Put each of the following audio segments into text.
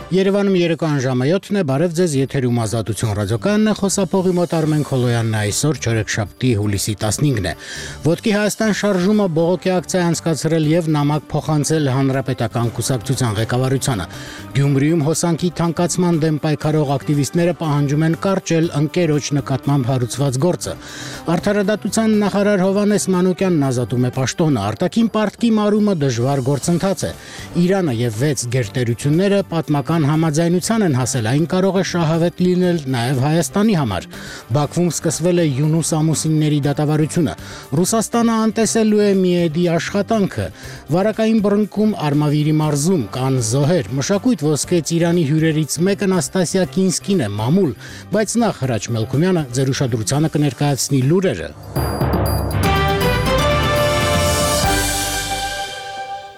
Երևանում երեկոյան ժամը 7-ն է, բարև ձեզ, եթերում Ազատություն ռադիոկայանն է, խոսափողի մոտ Արմեն Քոլոյանն է, այսօր չորեքշաբթի հուլիսի 15-ն է։ Ոտքի Հայաստան շարժումը բողոքի ակցիա անցկացրել եւ նամակ փոխանցել Հանրապետական կուսակցության ղեկավարությանը։ Գյումրիում հոսանքի թանկացման դեմ պայքարող ակտիվիստները պահանջում են կարճել ընկերոջ նկատմամբ հարուցված գործը։ Արդարադատության նախարար Հովհաննես Մանուկյանն ազատում է պաշտոնը, արտաքին պարտքի մարումը դժվար գործընթաց է։ Իրանը եւ 6 գերտերությունները պատմական համաձայնության են հասել, այն կարող է շահավետ լինել նաև Հայաստանի համար։ Բաքվում սկսվել է յունուս ամուսինների դատավարությունը։ Ռուսաստանը անտեսելու է Միեդի աշխատանքը։ Վարակային բռնկում Արմավիրի մարզում կան զոհեր։ Մշակույթ ոսկե Ծիրանի հյուրերից մեկը Նաստասիա Կինսկին է, մամուլ, բայց նախ Հրաչ Մելքումյանը ձեր ուշադրությանը կներկայացնի լուրերը։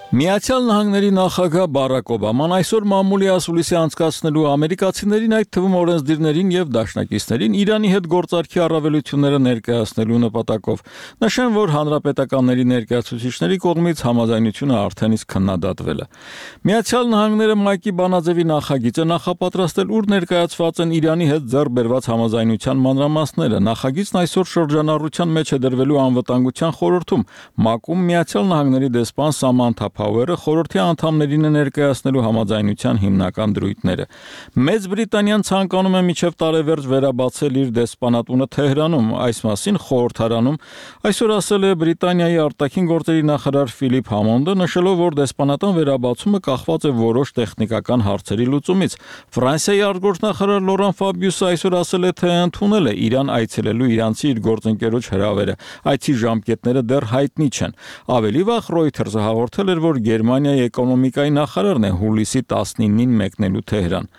Միացյալ Նահանգների նախագահ Բարակ Օբաման այսօր մամուլի ասուլիսի անցկացնելու ամերիկացիներին, այդ թվում օրենսդիրներին եւ դաշնակիցներին Իրանի հետ գործարքի առավելությունները ներկայացնելու նպատակով նշեն, որ հանրապետականների ներկայացուցիչների կողմից համաձայնությունը արդեն իսկ քննադատվել է։ Միացյալ Նահանգները Մայքի Բանաձևի նախագիծը նախապատրաստել, ուր ներկայացված են Իրանի հետ ձեռք բերված համաձայնության մանրամասները։ Նախագիծն այսօր շրջանառության մեջ է դրվելու անվտանգության խորհրդում։ ՄԱԿ-ում Միացյալ Նահանգների դեսպան Սամանթա Փաուերը խորհրդի անդամներին է ներկայացնելու համաձայնության հիմնական դրույթները։ Մեծ Բրիտանիան ցանկանում է մինչև տարեվերջ վերաբացել իր դեսպանատունը Թեհրանում, այս մասին խորհրդարանում այսօր ասել է Բրիտանիայի արտաքին գործերի նախարար Ֆիլիպ Համոնդը, նշելով, որ դեսպանատան վերաբացումը կախված է որոշ տեխնիկական հարցերի լուծումից։ Ֆրանսիայի արտգործնախարար Լորան Ֆաբիուսը այսօր ասել է, թե ընդունել է Իրան այցելելու իրանցի իր գործընկերոջ հրավերը։ Այցի ժամկետները դեռ հայտնի չեն։ Ավելի վաղ Reuters-ը հաղորդել էր, որ Գերմանիայի էկոնոմիկայի նախարարն է հուլիսի 19-ին մեկնելու Թեհրան։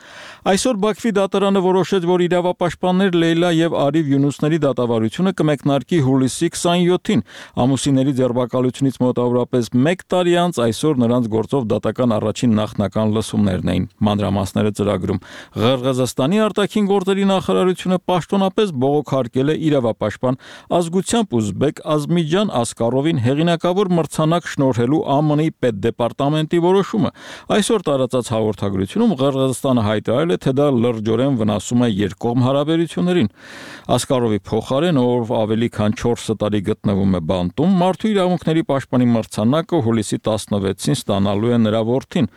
Այսօր Բաքվի դատարանը որոշեց, որ իրավապաշտպաններ Լեյլա եւ Արիվ Յունուսների դատավարությունը կմեկնարկի հուլիսի 27-ին։ Ամուսինների ձերբակալությունից մոտավորապես 1 տարի անց այսօր նրանց գործով դատական առաջին նախնական լսումներն էին։ Մանրամասները ծրագրում։ Ղրղզստանի արտաքին գործերի նախարարությունը պաշտոնապես բողոքարկել է իրավապաշտպան ազգությամբ ուզբեկ Ազմիջան Ասկարովին հեղինակավոր մրցանակ շնորհելու ԱՄՆ-ի պետդեպարտամենտի որոշումը։ Այսօր տարածած հաղորդագրությունում Ղրղզստանը հայտարարել է, թե դա լրջորեն վնասում է երկկողմ հարաբերություններին։ Ասկարովի փոխարեն, ով ավելի քան 4 տարի գտնվում է բանտում, մարդու իրավունքների պաշտպանի մրցանակը հուլիսի 16-ին ստանալու է նրա որդին։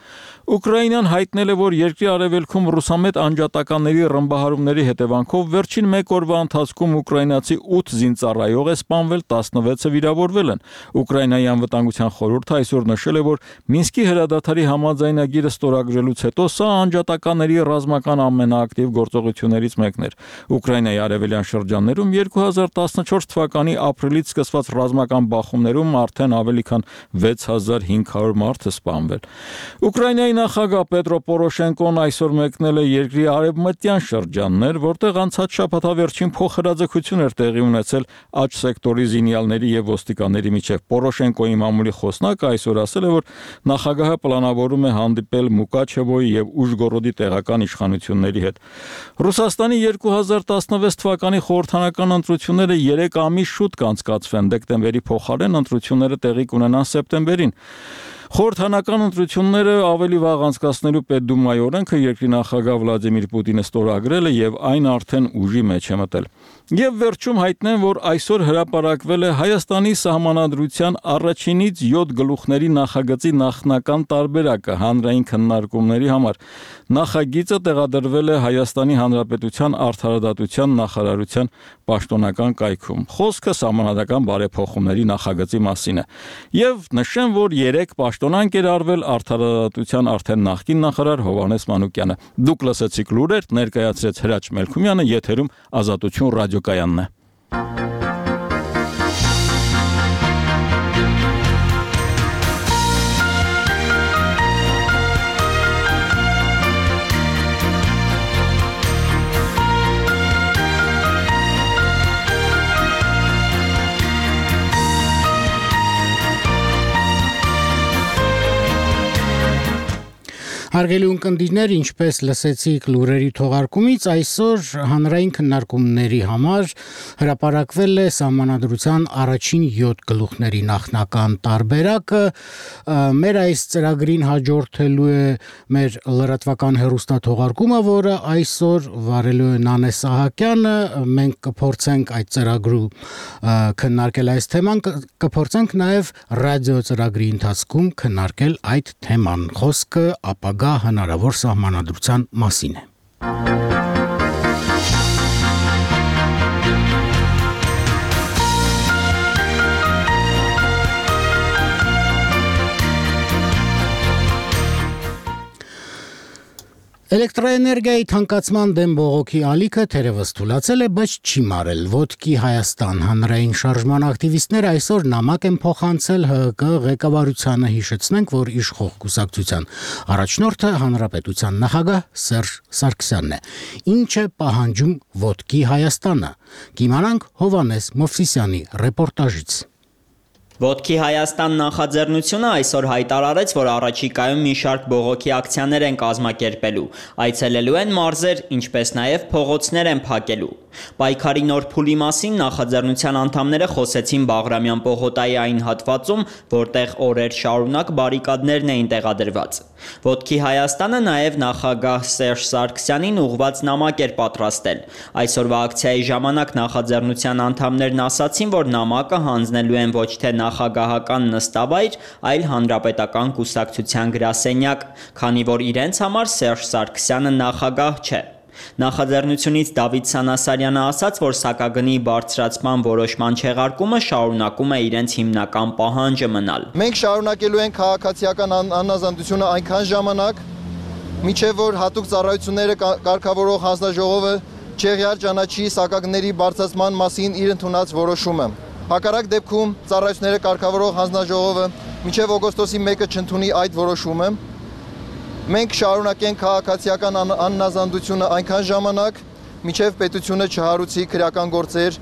Ուկրաինան հայտնել է, որ երկրի արևելքում ռուսամետ անջատականների ռմբահարումների հետևանքով վերջին 1 օրվա ընթացքում ուկրաինացի 8 զինծառայող է սպանվել, 16-ը վիրավորվել են։ Ուկրաինայի անվտանգության խորհուրդը այսօր նշել է, որ Մինսկի հրադադարի համաձայնագիրը ստորագրելուց հետո սա անջատականների ռազմական ամենաակտիվ գործողություններից մեկն էր։ Ուկրաինայի արևելյան շրջաններում 2014 թվականի ապրիլից սկսված ռազմական բախումներում արդեն ավելի քան 6500 մարդ է սպանվել։ Ուկրաինայի նախագահ Պետրո Պորոշենկոն այսօր մեկնել է երկրի արևմտյան շրջաններ, որտեղ անցած շաբաթավերջին փոխհրաձգություն էր տեղի ունեցել աջ սեկտորի զինյալների եւ ոստիկանների միջեւ։ Պորոշենկոյի մամուլի խոսնակը այսօր ասել է, որ նախագահը պլանավորում է հանդիպել Մուկաչևոյի եւ Ուժգորոդի տեղական իշխանությունների հետ։ Ռուսաստանի 2016 թվականի խորհրդանական ընտրությունները 3 ամիս շուտ կանցկացվեն, դեկտեմբերի փոխարեն ընտրությունները տեղի կունենան սեպտեմբերին։ Խորհրդանական ընտրությունները ավելի վաղ անցկացնելու Պետդումայի օրենքը երկրի նախագահ Վլադիմիր Պուտինը ստորագրել է եւ այն արդեն ուժի մեջ է մտել։ Եվ վերջում հայտնեն, որ այսօր հրապարակվել է Հայաստանի սահմանադրության առաջինից 7 գլուխների նախագծի նախնական տարբերակը հանրային քննարկումների համար։ Նախագիծը տեղադրվել է Հայաստանի Հանրապետության արդարադատության նախարարության պաշտոնական կայքում։ Խոսքը սահմանադրական բարեփոխումների նախագծի մասին է։ Եվ նշեմ, որ 3 պաշտոնանկ էր արվել արդարադատության արդեն նախկին նախարար Հովհաննես Մանուկյանը։ Դուք լսեցիք լուրեր, ներկայացրեց Հրաչ Մելքումյանը, եթերում Ազատություն ռադիոկայանն է։ Հարգելի ունկնդիրներ, ինչպես լսեցիք լուրերի թողարկումից, այսօր հանրային քննարկումների համար հրապարակվել է Սահմանադրության առաջին 7 գլուխների նախնական տարբերակը։ Մեր այս ծրագրին հաջորդելու է մեր լրատվական հեռուստաթողարկումը, որը այսօր վարելու է Նանե Սահակյանը։ Մենք կփորձենք այդ ծրագրում քննարկել այս թեման, կփորձենք նաև ռադիո ծրագրի ընթացքում քննարկել այդ թեման։ Խոսքը ապագա հնարավոր սահմանադրության մասին է։ Էլեկտրոէներգիայի թանկացման դեմ բողոքի ալիքը թերևս թուլացել է, բայց չի մարել։ Ոտքի Հայաստան հանրային շարժման ակտիվիստները այսօր նամակ են փոխանցել ՀՀԿ ղեկավարությանը, հիշեցնենք, որ իշխող կուսակցության առաջնորդը հանրապետության նախագահ Սերժ Սարգսյանն է։ Ինչ է պահանջում Ոտքի Հայաստանը։ Կիմանանք Հովանես Մովսիսյանի ռեպորտաժից։ Ոտքի Հայաստան նախաձեռնությունը այսօր հայտարարեց, որ առաջիկայում մի շարք բողոքի ակցիաներ են կազմակերպելու, այցելելու են մարզեր, ինչպես նաև փողոցներ են փակելու։ Պայքարի նոր փուլի մասին նախաձեռնության անդամները խոսեցին Բաղրամյան պողոտայի այն հատվածում, որտեղ օրեր շարունակ բարիկադներն էին տեղադրված։ Ոտքի Հայաստանը նաև նախագահ Սերժ Սարգսյանին ուղղված նամակ էր պատրաստել։ Այսօրվա ակցիայի ժամանակ նախաձեռնության անդամներն ասացին, որ նամակը հանձնելու են ոչ թե նախագահական նստավայր, այլ հանրապետական կուսակցության գրասենյակ, քանի որ իրենց համար Սերժ Սարգսյանը նախագահ չէ։ Նախաձեռնությունից Դավիթ Սանասարյանը ասաց, որ սակագնի բարձրացման որոշման չեղարկումը շարունակում է իրենց հիմնական պահանջը մնալ։ Մենք շարունակելու ենք քաղաքացիական անազատությունը այնքան ժամանակ, մինչև որ հատուկ ծառայությունները կարգավորող հանձնաժողովը չեղյալ ճանաչի սակագների բարձրացման մասին իր ընդունած որոշումը։ Հակառակ դեպքում ծառայությունները կարգավորող հանձնաժողովը մինչև օգոստոսի 1-ը չընդունի այդ որոշումը։ Մենք շարունակենք քաղաքացիական աննազանդությունը այնքան ժամանակ, մինչև պետությունը չհարուցի քրեական գործեր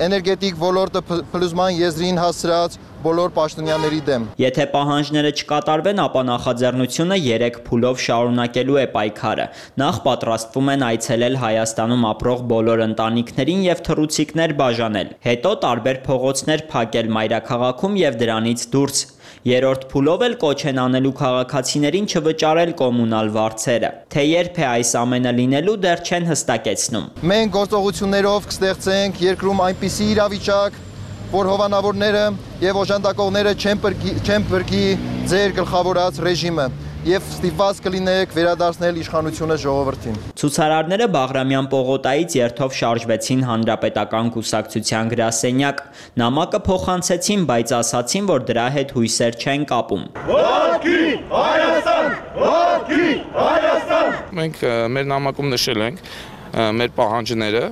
էներգետիկ ոլորտը փլուզման եզրին հասցրած բոլոր պաշտոնյաների դեմ։ Եթե պահանջները չկատարվեն, ապա նախաձեռնությունը 3 փուլով շարունակելու է պայքարը։ Նախ պատրաստվում են այցելել Հայաստանում ապրող բոլոր ընտանիքներին եւ թռուցիկներ բաժանել։ Հետո տարբեր փողոցներ փակել մայրաքաղաքում եւ դրանից դուրս։ Երրորդ փուլով էլ կոչ են անելու քաղաքացիներին չվճարել կոմունալ վարձերը։ Թե երբ է այս ամենը լինելու, դեռ չեն հստակեցնում։ Մենք գործողություններով կստեղծենք երկրում այնպիսի իրավիճակ, որ հովանավորները եւ օժանդակողները չեն բրկի ձեր գլխավորած ռեժիմը եւ ստիպված կլինեք վերադարձնել իշխանությունը ժողովրդին։ Ցուցարարները Բաղրամյան պողոտայից երթով շարժվեցին հանրապետական կուսակցության գրասենյակ։ Նամակը փոխանցեցին, բայց ասացին, որ դրա հետ հույսեր չեն կապում։ Ոտքի Հայաստան! Ոտքի Հայաստան! Մենք մեր նամակում նշել ենք մեր պահանջները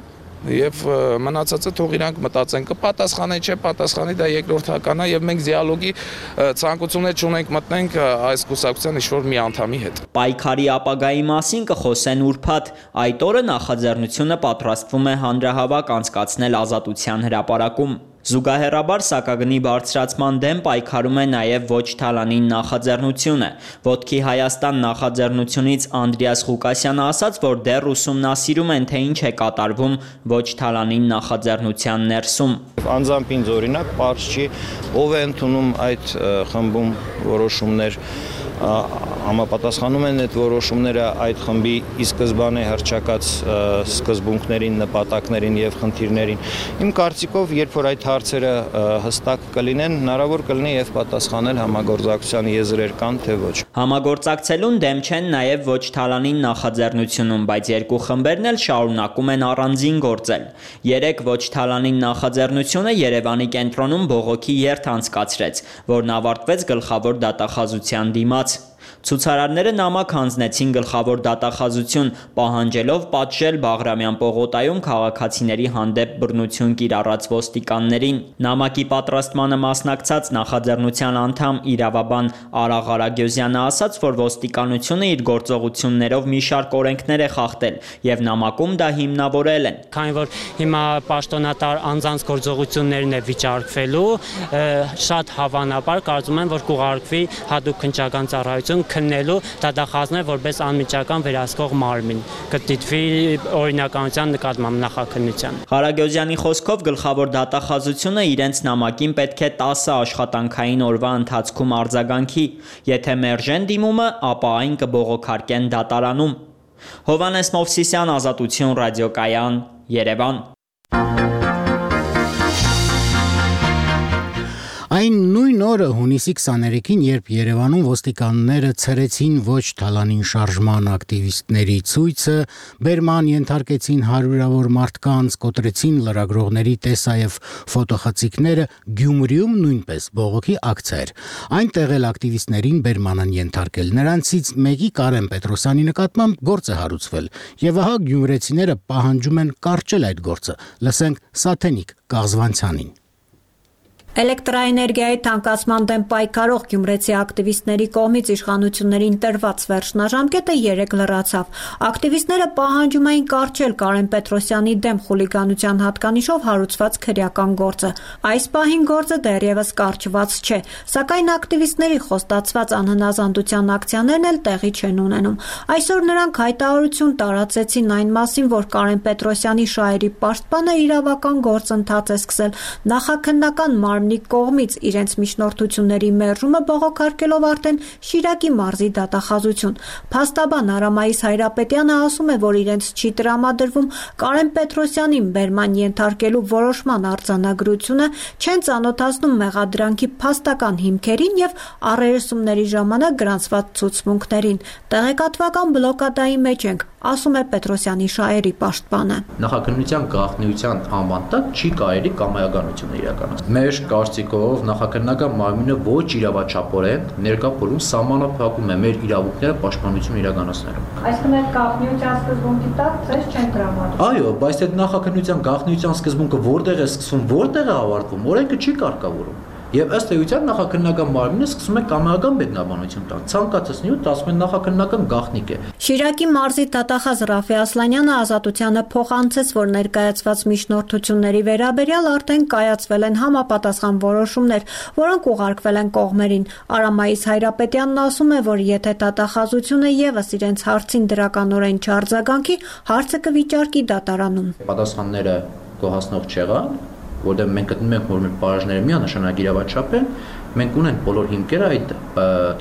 եւ մնացածը թող իրանք մտածեն կպատասխանի չէ պատասխանի դա երկրորդական է եւ մենք դիալոգի ցանկություններ չունենք մտնենք այս կուսակցության ինչ-որ մի անդամի հետ։ Պայքարի ապագայի մասին կխոսեն ուրբաթ։ Այդ օրը նախաձեռնությունը պատրաստվում է հանրահավաք անցկացնել Ազատության հրապարակում։ Զուգահեռաբար սակագնի բարձրացման դեմ պայքարում է նաև Ոչ Թալանին նախաձեռնությունը։ Ոտքի Հայաստան նախաձեռնությունից Անդրեաս Ղուկասյանը ասաց, որ դեռ ուսումնասիրում են, թե ինչ է կատարվում Ոչ Թալանին նախաձեռնության ներսում։ Անձամբ ինձ օրինակ պարզ չի, ով է ընդունում այդ խմբում որոշումներ, համապատասխանում են այդ որոշումները այդ խմբի ի սկզբանե հռչակած սկզբունքներին, նպատակներին եւ խնդիրներին։ Իմ կարծիքով, երբ որ այդ հարցերը հստակ կլինեն, հնարավոր կլինի եւ պատասխանել համագործակցության եզրեր կան, թե ոչ։ Համագործակցելուն դեմ չեն նաև Ոչ Թալանին նախաձեռնությունում, բայց երկու խմբերն էլ շարունակում են առանձին գործել։ 3 Ոչ Թալանին նախաձեռնությունը Երևանի կենտրոնում բողոքի երթ անցկացրեց, որն ավարտվեց գլխավոր դատախազության դիմաց։ Ցուցարարները նամակ հանձնեցին գլխավոր դատախազություն, պահանջելով պատժել Բաղրամյան պողոտայում քաղաքացիների հանդեպ բռնություն կիրառած ոստիկաններին։ Նամակի պատրաստմանը մասնակցած նախաձեռնության անդամ իրավաբան Արա Ղարագյոզյանը ասաց, որ ոստիկանությունը իր գործողություններով մի շարք օրենքներ է խախտել եւ նամակում դա հիմնավորել են։ Քանի որ հիմա պաշտոնատար անձանց գործողություններն է վիճարկվելու, շատ հավանաբար կարծում եմ, որ կուղարկվի հատուկ քննչական ծառայություն կայացնեն քննելու դատախազներ որպես անմիջական վերահսկող մարմին, կդիտվի օրինականության նկատմամբ նախաքննության։ Ղարագոզյանի խոսքով գլխավոր դատախազությունը իրենց նամակին պետք է 10 աշխատանքային օրվա ընթացքում արձագանքի, եթե մերժեն դիմումը, ապա այն կբողոքարկեն դատարանում։ Հովհաննես Մովսիսյան, Ազատություն ռադիոկայան, Երևան։ Այն նույն օրը հունիսի 23-ին, երբ Երևանում ոստիկանները ցրեցին ոչ թալանին շարժման ակտիվիստների ցույցը, բերման ենթարկեցին հարյուրավոր մարդկանց, կոտրեցին լրագրողների տեսայև ֆոտոխցիկները, Գյումրիում նույնպես բողոքի ակցիա էր։ Այնտեղ էլ ակտիվիստներին բերման են ենթարկել։ Նրանցից մեկի Կարեն Պետրոսյանի նկատմամբ գործ է հարուցվել, եւ ահա գյումրեցիները պահանջում են կարճել այդ գործը։ Լսենք Սաթենիկ Կաղզվանցյանին։ Էլեկտրաէներգիայի թանկացման դեմ պայքարող գյումրեցի ակտիվիստների կողմից իշխանություններին տրված վերջնաժամկետը 3 լրացավ։ Ակտիվիստները պահանջում էին կարճել Կարեն Պետրոսյանի դեմ խուլիգանության հատկանիշով հարուցված քրեական գործը։ Այս պահին գործը դեռևս կարճված չէ, սակայն ակտիվիստների խոստացված անհնազանդության ակցիաներն էլ տեղի չեն ունենում։ Այսօր նրանք հայտարարություն տարածեցին այն մասին, որ Կարեն Պետրոսյանի շահերի պաշտպանը իրավական գործընթաց է սկսել նախաքննական մարմնի կողմից իրենց միջնորդությունների մերժումը բողոքարկելով արդեն Շիրակի մարզի դատախազություն։ Փաստաբան Արամայիս Հայրապետյանը ասում է, որ իրենց չի տրամադրվում Կարեն Պետրոսյանին բերման ենթարկելու որոշման արձանագրությունը, չեն ծանոթացնում մեղադրանքի փաստական հիմքերին եւ առերեսումների ժամանակ գրանցված ցուցմունքներին։ Տեղեկատվական բլոկադայի մեջ ենք, ասում է Պետրոսյանի շահերի պաշտպանը։ Նախաքննության գաղտնիության անվան տակ չի կարելի կամայականություն իրականացնել։ Մեր կարծիքով նախաքննական մարմինը ոչ իրավաչափորեն ներկա փուլում սահմանափակում է մեր իրավունքները պաշտպանություն իրականացնելու։ Այսինքն այդ գաղտնիության սկզբունքի տակ ցես չեն տրամադրում։ Այո, բայց այդ նախաքննության գաղտնիության սկզբունքը որտեղ է սկսվում, որտեղ է ավարտվում, օրենքը չի կարգավորում։ Եվ ըստ էության նախաքննական մարմինը սկսում է կամայական մեկնաբանություն տալ։ Ցանկացած նյութ ասում են նախաքննական գաղտնիք է։ Շիրակի մարզի դատախազ Ռաֆի Ասլանյանը Ազատությանը փոխանցեց, որ ներկայացված միջնորդությունների վերաբերյալ արդեն կայացվել են համապատասխան որոշումներ, որոնք ուղարկվել են կողմերին։ Արամայիս Հայրապետյանն ասում է, որ եթե դատախազությունը եւս իրենց հարցին դրականորեն չարձագանքի, հարցը կվիճարկի դատարանում։ Պատասխանները գոհացնող չեղան, որտեղ մենք գտնում ենք, որ մեր պարաժները միանշանակ իրավաչափ են, մենք ունենք բոլոր հիմքերը այդ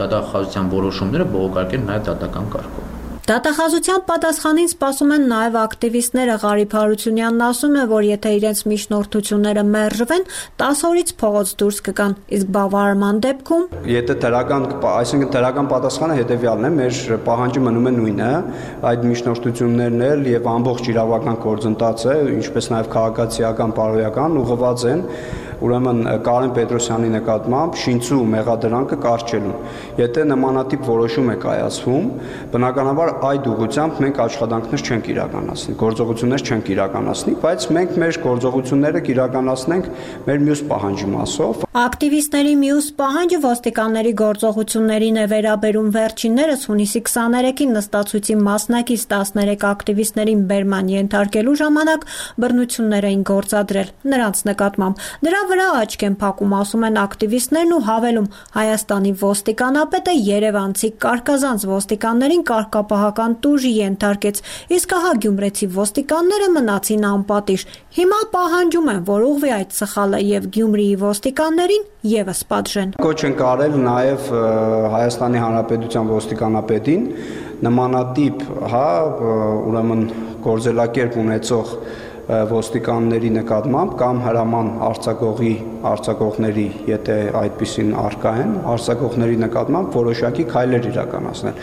դատախազության որոշումները բողոքարկել նաև դատական կարգով։ Դատախազության պատասխանին սպասում են նաև ակտիվիստները։ Ղարիբ Հարությունյանն ասում է, որ եթե իրենց միջնորդությունները մերժվեն, 10 օրից փողոց դուրս կգան, իսկ բավարարման դեպքում եթե այսինքն դրական պատասխանը հետևյալն է, մեր պահանջը մնում է նույնը, այդ միջնորդություններն էլ եւ ամբողջ իրավական գործընթացը, ինչպես նաև քաղաքացիական, բարոյական ուղղված են ուրեմն Կարեն Պետրոսյանի նկատմամբ շինծու մեղադրանքը կարճելուն։ Եթե նմանատիպ որոշում է կայացվում, բնականաբար այդ ուղղությամբ մենք աշխատանքներ չենք իրականացնի, գործողություններ չենք իրականացնի, բայց մենք մեր գործողությունները կիրականացնենք մեր մյուս պահանջի մասով։ Ակտիվիստների մյուս պահանջը ոստիկանների գործողություններին է վերաբերում։ Վերջիններս հունիսի 23-ին նստացույցի մասնակից 13 ակտիվիստներին բերման ենթարկելու ժամանակ բռնություններ էին գործադրել նրանց նկատմամբ։ Դրա վրա աչք են փակում, ասում են ակտիվիստներն ու հավելում, Հայաստանի ոստիկանապետը երևանցի կարկազանց ոստիկաններին կարգապահական տուժի ենթարկեց, իսկ ահա գյումրեցի ոստիկանները մնացին անպատիժ։ Հիմա պահանջում են, որ ուղղվի այդ սխալը եւ Գյումրիի ոստիկաններին եւս պատժեն։ Կոչ են կարել նաեւ Հայաստանի Հանրապետության ոստիկանապետին նմանատիպ, ուրեմն գործելակերպ ունեցող ոստիկանների նկատմամբ կամ հրաման արձակողների, եթե այդպիսին առկա են, արձակողների նկատմամբ որոշակի քայլեր իրականացնել։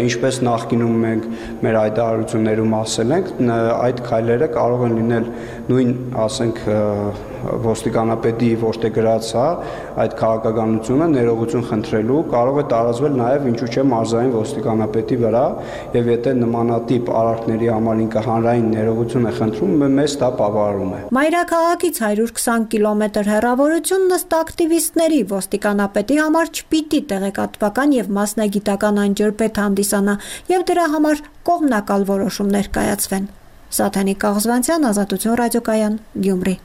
Ինչպես նախկինում մենք մեր հայտարարություններում ասել ենք, այդ քայլերը կարող են լինել նույն, ասենք, ոստիկանապետի որտեղ գրած այդ քաղաքականությունը ներողություն խնդրելու, կարող է տարածվել նաև ինչու՞ չէ մարզային ոստիկանապետի վրա, եւ եթե նմանատիպ արարքների համար ինքը հանրային ներողություն է խնդրում, մեզ դա բավարարում է։ Մայրաքաղաքից 120 կիլոմետր հեռավորությունն ըստ ակտիվիստների ոստիկանապետի համար չպիտի տեղեկատվական եւ մասնագիտական անջրպետ հանդիսանա եւ դրա համար կողմնակալ որոշումներ կայացվեն։ Սաթենիկ Կաղզվանցյան, Ազատություն ռադիոկայան, Գյումրի։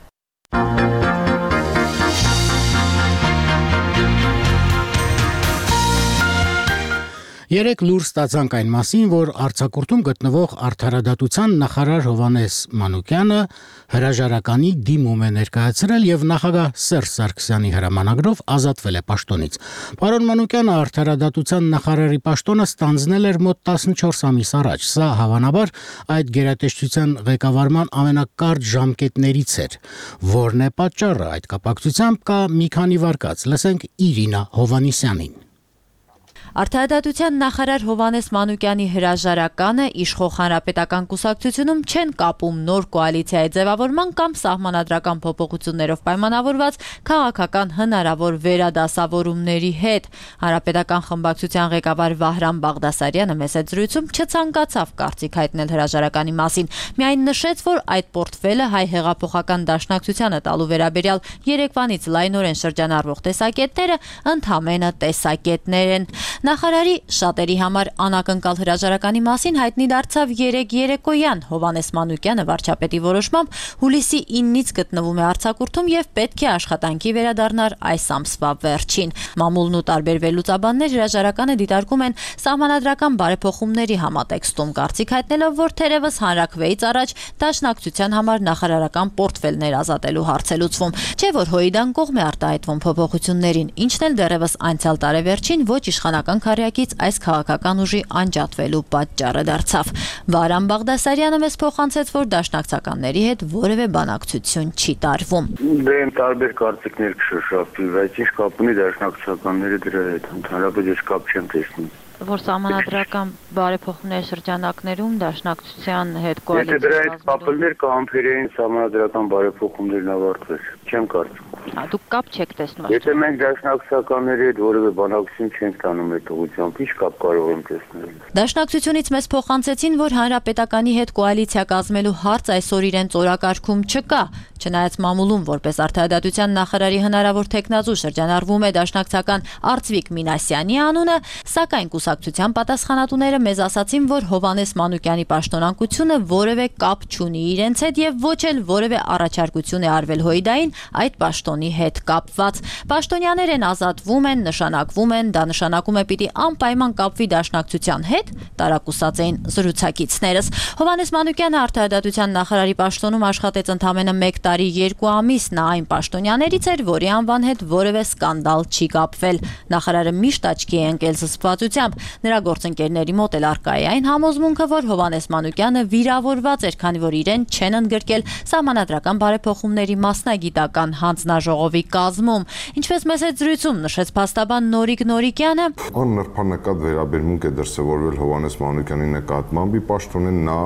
Երեք լուր ստացանք այն մասին, որ արձակուրդում գտնվող Արդարադատության նախարար Հովհաննես Մանուկյանը հրաժարականի դիմում է ներկայացրել եւ նախագահ Սերժ Սարգսյանի հրամանագրով ազատվել է պաշտոնից։ Պարոն Մանուկյանը Արդարադատության նախարարի պաշտոնը ստանձնել էր մոտ 14 ամիս առաջ։ Սա հավանաբար այդ գերատեսչության ղեկավարման ամենակարճ ժամկետներից էր։ Որն է պատճառը այդ կապակցությամբ կա մի քանի վարկած։ Լսենք Իրինա Հովհաննիսյանին։ Արդարադատության նախարար Հովհաննես Մանուկյանի հրաժարականը իշխող հանրապետական կուսակցությունում չեն կապում նոր կոալիցիայի ձևավորման կամ սահմանադրական փոփոխություններով պայմանավորված քաղաքական հնարավոր վերադասավորումների հետ։ Հանրապետական խմբակցության ղեկավար Վահրամ Բաղդասարյանը մեծ զրույցում չցանկացավ կարծիք հայտնել հրաժարականի մասին, միայն նշեց, որ այդ պորտֆելը հայ հեղափոխական դաշնակցությանը տալու վերաբերյալ երեկվանից լայնորեն շրջանառվող տեսակետները ընդհանրապես տեսակետներ են։ Նախարարի շատերի համար անակնկալ հրաժարականի մասին հայտնի դարձավ երեկ երեկոյան։ Հովհաննես Մանուկյանը վարչապետի որոշմամբ հուլիսի 9-ից գտնվում է արձակուրդում եւ պետք է աշխատանքի վերադառնար այս ամսվա վերջին։ Մամուլն ու տարբեր վերլուծաբաններ հրաժարականը դիտարկում են սահմանադրական բարեփոխումների համատեքստում, կարծիք հայտնելով, որ թերևս հանրաքվեից առաջ դաշնակցության համար նախարարական պորտֆելներ ազատելու հարց է լուծվում, չէ՞ որ Հոիդան կողմ է արտահայտվում փոփոխություններին, ինչն էլ դեռևս անցյալ տարեվերջին ոչ իշխանական քարյակից այս քաղաքական ուժի անջատվելու պատճառը դարձավ։ Վահրամ Բաղդասարյանը մեզ փոխանցեց, որ դաշնակցականների հետ որևէ բանակցություն չի տարվում։ Դե տարբեր կարծիքներ կշոշափվի, բայց ինչ կապ ունի դաշնակցականները դրա հետ, ընդհանրապես ես կապ չեմ տեսնում։ Որ սահմանադրական բարեփոխումների շրջանակներում դաշնակցության հետ կոալիցիա։ Եթե դրա հետ կապելներ կամփերային սահմանադրական բարեփոխումներն ավարտվեր, չեմ կարծում։ Դուք կապ չեք տեսնում։ Եթե մենք դաշնակցականների հետ որևէ բանակցություն չենք տանում այդ ուղղությամբ, ի՞նչ կապ կարող եմ տեսնել։ Դաշնակցությունից մեզ փոխանցեցին, որ հանրապետականի հետ կոալիցիա կազմելու հարց այսօր իրենց օրակարգում չկա։ Չնայած մամուլում որպես արդարադատության նախարարի հնարավոր թեկնածու շրջանառվում է դաշնակցական Արծվիկ Մինասյանի անունը, սակայն կուսակցության պատասխանատուները մեզ ասացին, որ Հովհաննես Մանուկյանի պաշտոնակությունը որևէ կապ չունի իրենց հետ եւ ոչ էլ որևէ առաջարկություն է արվել Հոիդային այդ պաշտոնի հետ կապված։ Պաշտոնյաներ են ազատվում են, նշանակվում են, դա նշանակում է պիտի անպայման կապվի դաշնակցության հետ, տարակուսած էին զրուցակիցներս։ Հովհաննես Մանուկյանը արդարադատության նախարարի պաշտոնում աշխատեց ընդամենը 1 տարի 2 ամիս, նա այն պաշտոնյաներից էր, որի անվան հետ որևէ սկանդալ չի կապվել։ Նախարարը միշտ աչքի է ընկել զսպվածությամբ։ Նրա գործընկերների մոտ էլ առկա է այն համոզմունքը, որ Հովհաննես Մանուկյանը վիրավորված էր, քանի որ իրեն չեն ընդգրկել սահմանադրական բարեփոխումների մասնագիտական հանձնաժողովի կազմում։ Ինչպես մեծ զրույցում նշեց փաստաբան Նորիկ Նորիկյանը, աննրբանկատ վերաբերմունք է դրսևորվել Հովհաննես Մանուկյանի նկատմամբ, ի պաշտոնեն նա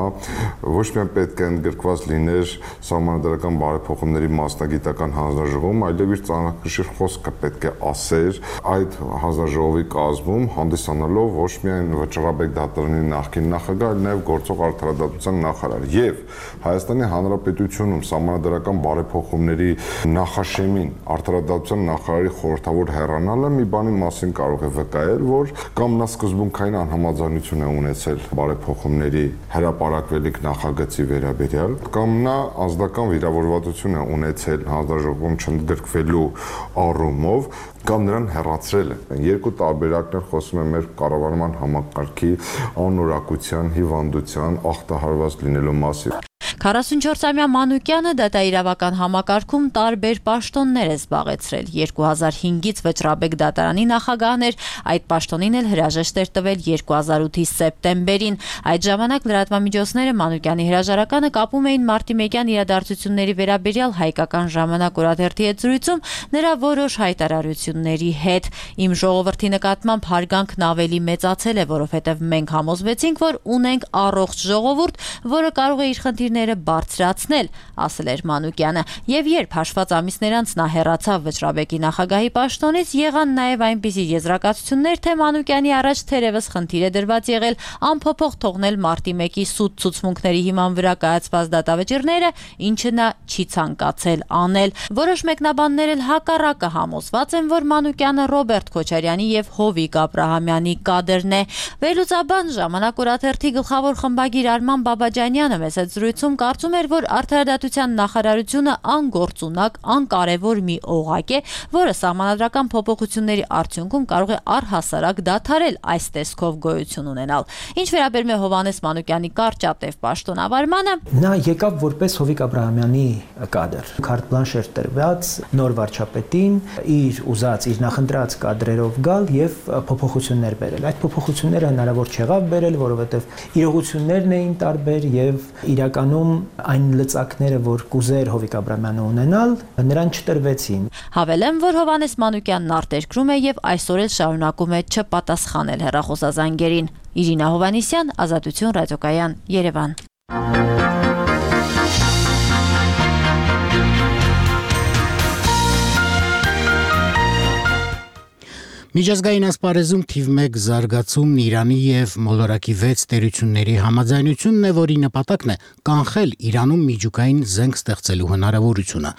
ոչ միայն պետք է ընդգրկված լիներ սահմանադրական բարեփոխումների մասնագիտական հանձնաժողովում, այլև իր ծանրակշիռ խոսքը պետք է ասեր այդ հանձնաժողովի կազմում, հանդիսանալով ոչ միայն Վճռաբեկ դատարանի նախկին նախագահ, այլ նաև գործող արդարադատության նախարար։ Եվ Հայաստանի Հանրապետությունում սահմանադրական բարեփոխումների նախաշեմին արդարադատության նախարարի խորհրդավոր հեռանալը մի բանի մասին կարող է վկայել, որ կամ նա սկզբունքային անհամաձայնություն է ունեցել բարեփոխումների հրապարակվելիք նախագծի վերաբերյալ, կամ նա ազնական վիրավորվածություն է ունեցել հանձնաժողովում չընդգրկվելու առումով, կամ նրան հեռացրել են։ Երկու տարբերակներ խոսում են մեր կառավարման համակարգի անորակության, հիվանդության, ախտահարված լինելու մասին։ 44-ամյա Մանուկյանը դատաիրավական համակարգում տարբեր պաշտոններ է զբաղեցրել։ 2005-ից Վճռաբեկ դատարանի նախագահն էր, այդ պաշտոնին էլ հրաժեշտ էր տվել 2008-ի սեպտեմբերին։ Այդ ժամանակ լրատվամիջոցները Մանուկյանի հրաժարականը կապում էին մարտիմեկյան իրադարձությունների վերաբերյալ Հայկական ժամանակ օրաթերթի հետ զրույցում նրա որոշ հայտարարությունների հետ։ Իմ ժողովրդի նկատմամբ հարգանքն ավելի մեծացել է, որովհետև մենք համոզվեցինք, որ ունենք առողջ ժողովուրդ, որը կարող է իր խնդիրները բարձրացնել, ասել էր Մանուկյանը, եւ երբ հաշված ամիսներ անց նա հեռացավ Վճռաբեկի նախագահի պաշտոնից, եղան նաեւ այնպիսի եզրակացություններ, թե Մանուկյանի առաջ թերևս խնդիր է դրված եղել անփոփոխ թողնել մարտի 1-ի սուտ ցուցմունքների հիման վրա կայացված դատավճիռները, ինչը նա չի ցանկացել անել։ Որոշ մեկնաբաններ էլ հակառակը համոզված են, որ Մանուկյանը Ռոբերտ Քոչարյանի եւ Հովիկ Աբրահամյանի կադրն է։ Վերլուծաբան Ժամանակ օրաթերթի գլխավոր խմբագիր Արման Բաբաջանյանը մեծ զրույցում կարծում էր, որ արդարադատության նախարարությունը անգործունակ, անկարևոր մի օղակ է, որը սահմանադրական փոփոխությունների արդյունքում կարող է առհասարակ դադարել այս տեսքով գոյություն ունենալ։ Ինչ վերաբերում է Հովհաննես Մանուկյանի կարճատև պաշտոնավարմանը, նա եկավ որպես Հովիկ Աբրահամյանի կադր, քարտ բլանշ էր տրված նոր վարչապետին իր ուզած, իր նախընտրած կադրերով գալ եւ փոփոխություններ բերել։ Այդ փոփոխությունները հնարավոր չեղավ բերել, որովհետեւ իրողություններն էին տարբեր եւ իրականում այն լծակները, որ կուզեր Հովիկ Աբրահամյանը ունենալ, նրան չտրվեցին։ Հավելեմ, որ Հովհաննես Մանուկյանն արտերկրում է եւ այսօր էլ շարունակում է չպատասխանել հեռախոսազանգերին։ Իրինա Հովհաննիսյան, Ազատություն ռադիոկայան, Երևան։ Միջազգային ասպարեզում թիվ 1 զարգացումն Իրանի եւ մոլորակի 6 տերությունների համաձայնությունն է, որի նպատակն է կանխել Իրանում միջուկային զենք ստեղծելու հնարավորությունը։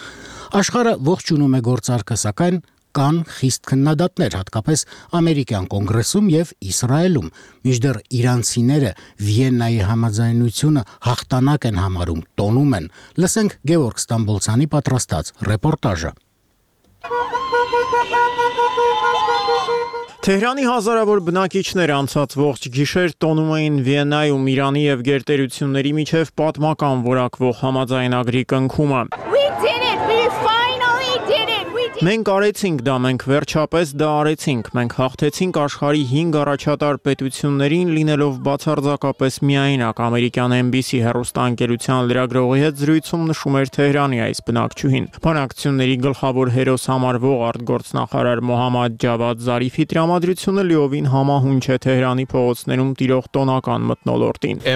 Աշխարհը ողջունում է գործարքը, սակայն կան խիստ քննադատներ, հատկապես ամերիկյան կոնգրեսում եւ Իսրայելում, մինչդեռ իրանցիները Վիեննայի համաձայնությունը հաղթանակ են համարում, տոնում են։ Լսենք Գևորգ Ստամբոլցյանի պատրաստած ռեպորտաժը։ Թեհրանի հազարավոր բնակիչներ անցած ողջ գիշեր տոնում էին Վիեննայում Իրանի եւ գերտերությունների միջև պատմական որակվող համաձայնագրի կնքումը։ Մենք արեցինք դա, մենք վերջապես դա արեցինք, մենք հաղթեցինք աշխարհի 5 առաջատար պետություններին, լինելով բացարձակապես միայնակ, ամերիկյան NBC հեռուստաընկերության լրագրողի հետ զրույցում նշում էր Թեհրանի այս բնակչուհին։ Բանակցությունների գլխավոր հերոս համարվող արտգործնախարար Մոհամմադ Ջավադ Զարիֆի տրամադրությունը լիովին համահունչ է Թեհրանի փողոցներում տիրող տոնական մթնոլորտին։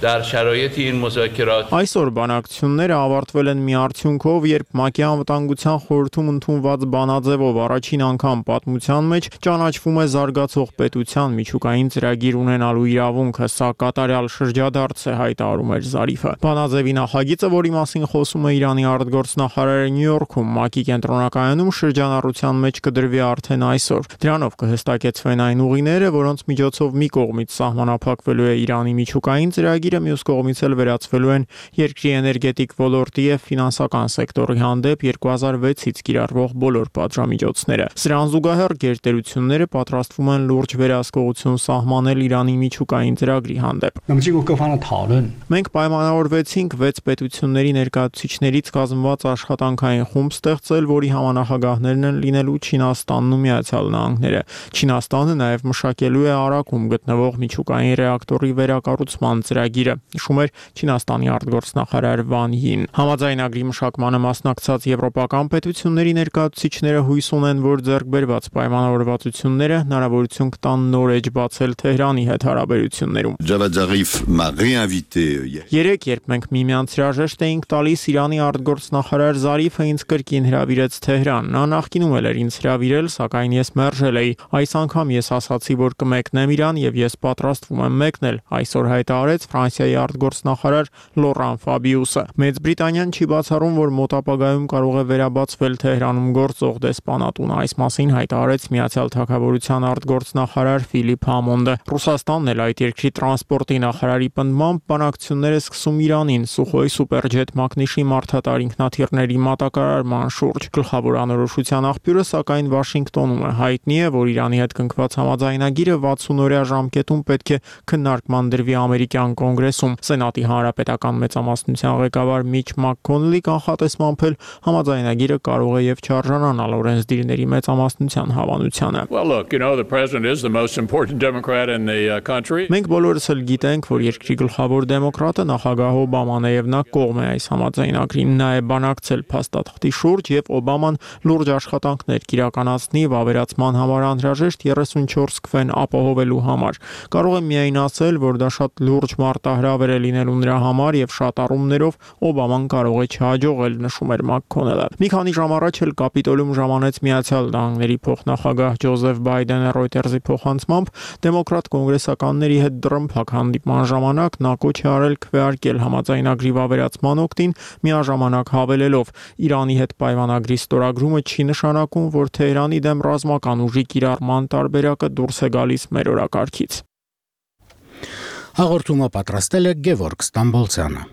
Այսօր բանակցությունները ավարտվել են մի արդյունքով, երբ ՄԱԿ-ի անվտանգության խորհրդում ընդունված բանաձևով առաջին անգամ պատմության մեջ ճանաչվում է զարգացող պետության միջուկային ծրագիր ունենալու իրավունքը, սա կատարյալ շրջադարձ է, հայտարարում էր Զարիֆը։ Բանաձևի նախագիծը, որի մասին խոսում է Իրանի արտգործնախարարը Նյու Յորքում, ՄԱԿ-ի կենտրոնակայանում շրջանառության մեջ կդրվի արդեն այսօր։ Դրանով կհստակեցվեն այն ուղիները, որոնց միջոցով մի կողմից սահմանափակվելու է Իրանի միջուկային ծրագիրը, մյուս կողմից էլ վերացվելու են երկրի էներգետիկ ոլորտի եւ ֆինանսական սեկտորի հանդեպ 2006-ից կիրառվող բոլոր պատժամիջոցները։ Սրան զուգահեռ գերտերությունները պատրաստվում են լուրջ վերահսկողություն սահմանել Իրանի միջուկային ծրագրի հանդեպ։ Մենք պայմանավորվեցինք 6 պետությունների ներկայացուցիչներից կազմված աշխատանքային խումբ ստեղծել, որի համանախագահներն են լինելու Չինաստանն ու Միացյալ Նահանգները։ Չինաստանը նաեւ մշակելու է Արաքում գտնվող միջուկային ռեակտորի վերակառուցման ծրագիրը, նշում էր Չինաստանի արտգործնախարար Վան Յին։ Համաձայնագրի մշակմանը մասնակցած եվրոպական պետությունների ներկայացուցիչները հույս ունեն, որ ձեռքբերված պայմանավորվածությունները հնարավորություն կտան նոր էջ բացել Թեհրանի հետ հարաբերություններում։ Երեկ, երբ մենք միմյանց հրաժեշտ էինք տալիս, Իրանի արտգործնախարար Զարիֆը ինձ կրկին հրավիրեց Թեհրան։ Նա նախկինում էլ էր ինձ հրավիրել, սակայն ես մերժել էի։ Այս անգամ ես ասացի, որ կմեկնեմ Իրան եւ ես պատրաստվում եմ մեկնել, այսօր հայտարարեց Ֆրանսիայի արտգործնախարար Լորան Ֆաբիուսը։ Մեծ Բրիտանիան չի բացառում, որ մոտ ապագայում կարող է վերաբացվել Թեհրանում գործող դեսպանատունը։ Այս մասին հայտարարեց Միացյալ Թագավորության արտգործնախարար Ֆիլիպ Համոնդը։ Ռուսաստանն էլ այդ երկրի տրանսպորտի նախարարի պնդմամբ բանակցությունները սկսում Իրանին Սուխոյ սուպերջետ մակնիշի մարդատար ինքնաթիռների մատակարարման շուրջ։ Գլխավոր անորոշության աղբյուրը, սակայն Վաշինգտոնում է, հայտնի է, որ Իրանի հետ կնքված համաձայնագիրը 60-օրյա ժամկետում պետք է քննարկման դրվի ամերիկյան կոնգրեսում։ Սենատի հանրապետական մեծամասնության ղեկավար Միչ Մաքքոնլի կանխատեսմամբ էլ համաձայնագիրը կարող է եւ չարժանանալ օրենսդիրների մեծամասնության հավանությանը։ Մենք բոլորս էլ գիտենք, որ երկրի գլխավոր դեմոկրատը նախագահ Օբաման է եւ նա կողմ է այս համաձայնագրին։ Նա է բանակցել փաստաթղթի շուրջ եւ Օբաման լուրջ աշխատանքներ կիրականացնի վավերացման համար անհրաժեշտ 34 քվեն ապահովելու համար։ Կարող եմ միայն ասել, որ դա շատ լուրջ մարտահրավեր է լինելու նրա համար եւ շատ առումներով Օբաման կարող է չհաջողել, նշում էր Մաքքոնելը։ Մի քանի ժամ առաջ էլ Կապիտոլիում ժամանեց Միացյալ Նահանգների փոխնախագահ Ջոզեֆ Բայդենը Reuters-ի փոխանցմամբ դեմոկրատ կոնգրեսականների հետ դռնփակ հանդիպման ժամանակ նա կոչ է արել քվեարկել համաձայնագրի վավերացման օգտին, միաժամանակ հավելելով Իրանի հետ պայմանագրի ստորագրումը չի նշանակում, որ Թեհրանի դեմ ռազմական ուժի կիրառման տարբերակը դուրս է գալիս մեր օրակարգից։ Հաղորդումը պատրաստել է Գևորգ Ստամբոլցյանը։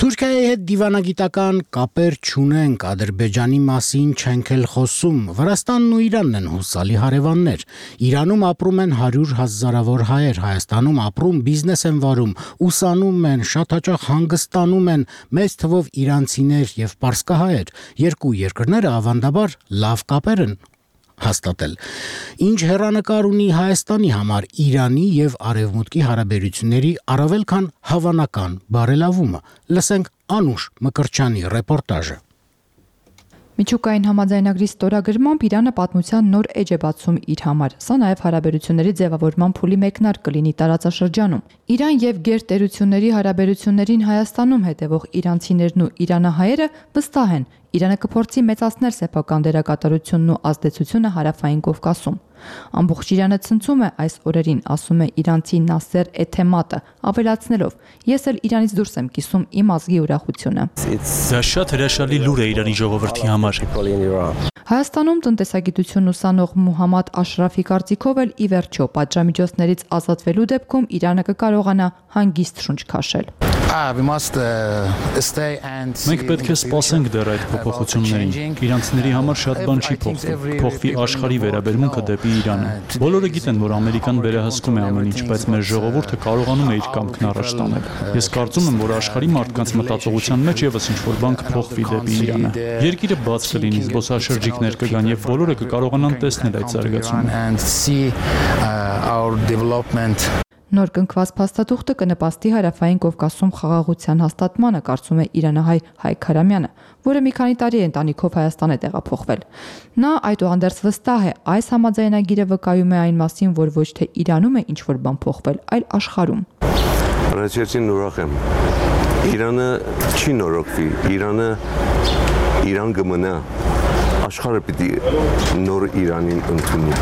Թուրքիայի հետ դիվանագիտական կապեր չունենք, Ադրբեջանի մասին չենք էլ խոսում, Վրաստանն ու Իրանն են հուսալի հարևաններ, Իրանում ապրում են 100 հազարավոր հայեր, Հայաստանում ապրում, բիզնես են վարում, ուսանում են, շատ հաճախ հանգստանում են մեծ թվով իրանցիներ եւ պարսկահայեր, երկու երկրները ավանդաբար լավ կապեր են հաստատել։ Ինչ հեռանկար ունի Հայաստանի համար Իրանի եւ Արևմուտքի հարաբերությունների առավել քան հավանական բարելավումը։ Լսենք Անուշ Մկրտչյանի ռեպորտաժը։ Միջուկային համաձայնագրի ստորագրմամբ Իրանը պատմության նոր էջ է բացում իր համար։ Սա նաև հարաբերությունների ձևավորման փուլի մեկնարկ կլինի տարածաշրջանում։ Իրան եւ գերտերությունների հարաբերություններին Հայաստանում հետևող իրանցիներն ու իրանահայերը վստահ են, Իրանը կփորձի մեծացնել սեփական դերակատարությունն ու ազդեցությունը հարավային Կովկասում։ Ամբողջ Իրանը ցնցում է այս օրերին, ասում է իրանցի Նասեր Էթեմատը, ավելացնելով. Ես էլ Իրանից դուրս եմ կիսում իմ ազգի ուրախությունը։ Դա շատ հրաշալի լուր է Իրանի ժողովրդի համար։ Հայաստանում տնտեսագիտություն ուսանող Մուհամմադ Աշրաֆի կարծիքով էլ ի վերջո պատժամիջոցներից ազատվելու դեպքում Իրանը կկարողանա հանգիստ շունչ քաշել։ Մենք պետք է սպասենք դեռ այդ փոփոխություններին։ Իրանցիների համար շատ բան չի փոխվում։ Փոխվի աշխարհի վերաբերմունքը դեպի Իրանը։ Բոլորը գիտեն, որ Ամերիկան վերահսկում է ամեն ինչ, բայց մեր ժողովուրդը կարողանում է իր կամքն առաջ տանել։ Ես կարծում եմ, որ աշխարհի մարդկանց մտածողության մեջ եւս ինչ-որ բան կփոխվի դեպի Իրանը։ Երկիրը բաց կլինի, զբոսաշրջիկներ կգան եւ բոլորը կկարողանան տեսնել այդ զարգացումը։ Նոր կնքված փաստաթուղթը կնպաստի հարավային Կովկասում խաղաղության հաստատմանը, կարծում է իրանահայ Հայկ Հարամյանը, որը մի քանի տարի է ընտանիքով Հայաստան է տեղափոխվել։ Նա այդուհանդերձ վստահ է, այս համաձայնագիրը վկայում է այն մասին, որ ոչ թե Իրանում է ինչ-որ բան փոխվել, այլ աշխարհում։ Առաջին ուրախ եմ։ Իրանը չի նորոգվի, Իրան կմնա։ Աշխարհը պիտի նոր Իրանին ընդունի։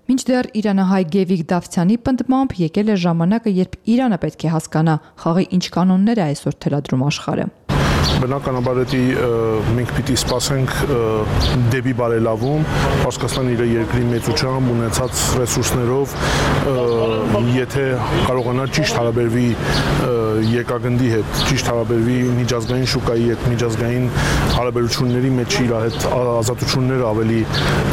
Մինչդեռ իրանահայ Գևիկ Դավթյանի պնդմամբ եկել է ժամանակը, երբ Իրանը պետք է հասկանա խաղի ինչ կանոններ է այսօր թելադրում աշխարհը։ Բնականաբար մենք պիտի սպասենք դեպի բարելավում, Պարսկաստան իր երկրի մեծությամբ ունեցած ռեսուրսներով, եթե կարողանա ճիշտ հարաբերվի եկագնդի հետ, ճիշտ հարաբերվի միջազգային շուկայի հետ, միջազգային հարաբերությունների մեջ իր հետ ազատությունները ավելի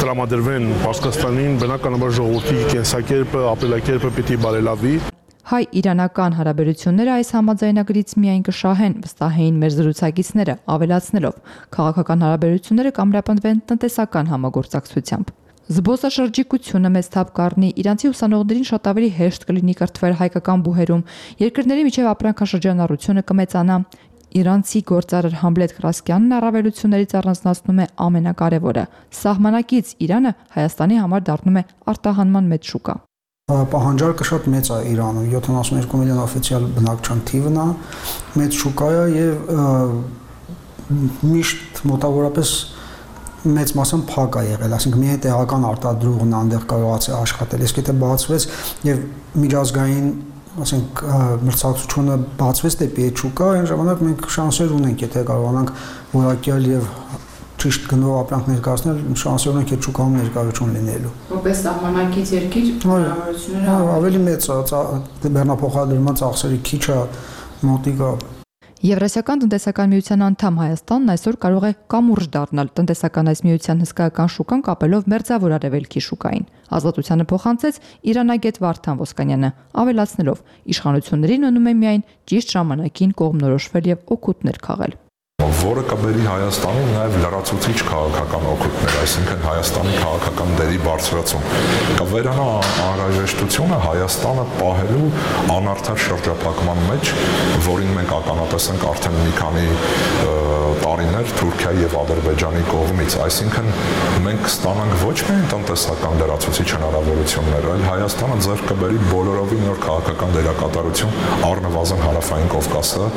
տրամադրվեն Պարսկաստանին, բնականաբար ժողովրդի կենսակերպը, ապրելակերպը պիտի բարելավի։ Հայ-իրանական հարաբերությունները այս համաձայնագրից միայն կշահեն, վստահ էին մեր զրուցակիցները, ավելացնելով. քաղաքական հարաբերությունները կամրապնդվեն տնտեսական համագործակցությամբ։ Զբոսաշրջիկությունը մեծ թափ կառնի, իրանցի ուսանողներին շատ ավելի հեշտ կլինի կրթվել հայկական բուհերում, երկրների միջև ապրանքաշրջանառությունը կմեծանա։ Իրանցի գործարար Համլետ Կրասկյանն առավելություններից առանձնացնում է ամենակարևորը. սահմանակից Իրանը Հայաստանի համար դառնում է արտահանման մեծ շուկա։ Պահանջարկը շատ մեծ է Իրանում, 72 միլիոն օֆիցիալ բնակչության թիվն է, մեծ շուկա է եւ միշտ մոտավորապես մեծ մասամբ փակ է եղել, այսինքն միայն տեղական արտադրողն այնտեղ կարողացել աշխատել, իսկ եթե բացվեց եւ միջազգային, ասենք, մրցակցությունը բացվեց դեպի այդ շուկա, այն ժամանակ մենք շանսեր ունենք, եթե կարողանանք որակյալ եւ ճիշտ գնով ապրանք ներկայացնել, շանսեր ունենք այդ շուկայում ներկայություն լինելու։ Որպես սահմանակից երկիր հնարավորությունները ավելի մեծ է, բեռնափոխադրման ծախսերի քիչ է, մոտիկա։ Եվրասիական տնտեսական միության անդամ Հայաստանն այսօր կարող է կամուրջ դառնալ տնտեսական այս միության հսկայական շուկան կապելով մերձավոր արևելքի շուկային։ Ազատությանը փոխանցեց Իրանագետ Վարդան Ոսկանյանը, ավելացնելով. իշխանություններին ունում է միայն ճիշտ ժամանակին կողմնորոշվել եւ օգուտներ քաղել։ Որը կբերի Հայաստանին նաև լրացուցիչ քաղաքական օգուտներ, այսինքն Հայաստանի քաղաքական դերի բարձրացում։ Կվերանա անհրաժեշտությունը Հայաստանը պահելու անարդար շրջափակման մեջ, որին մենք ականատես ենք արդեն մի քանի տարիներ Թուրքիայի եւ Ադրբեջանի կողմից, այսինքն մենք կստանանք ոչ միայն տնտեսական լրացուցիչ հնարավորություններ, այլ Հայաստանը ձեռք կբերի բոլորովին նոր քաղաքական դերակատարություն առնվազն հարավային Կովկասը,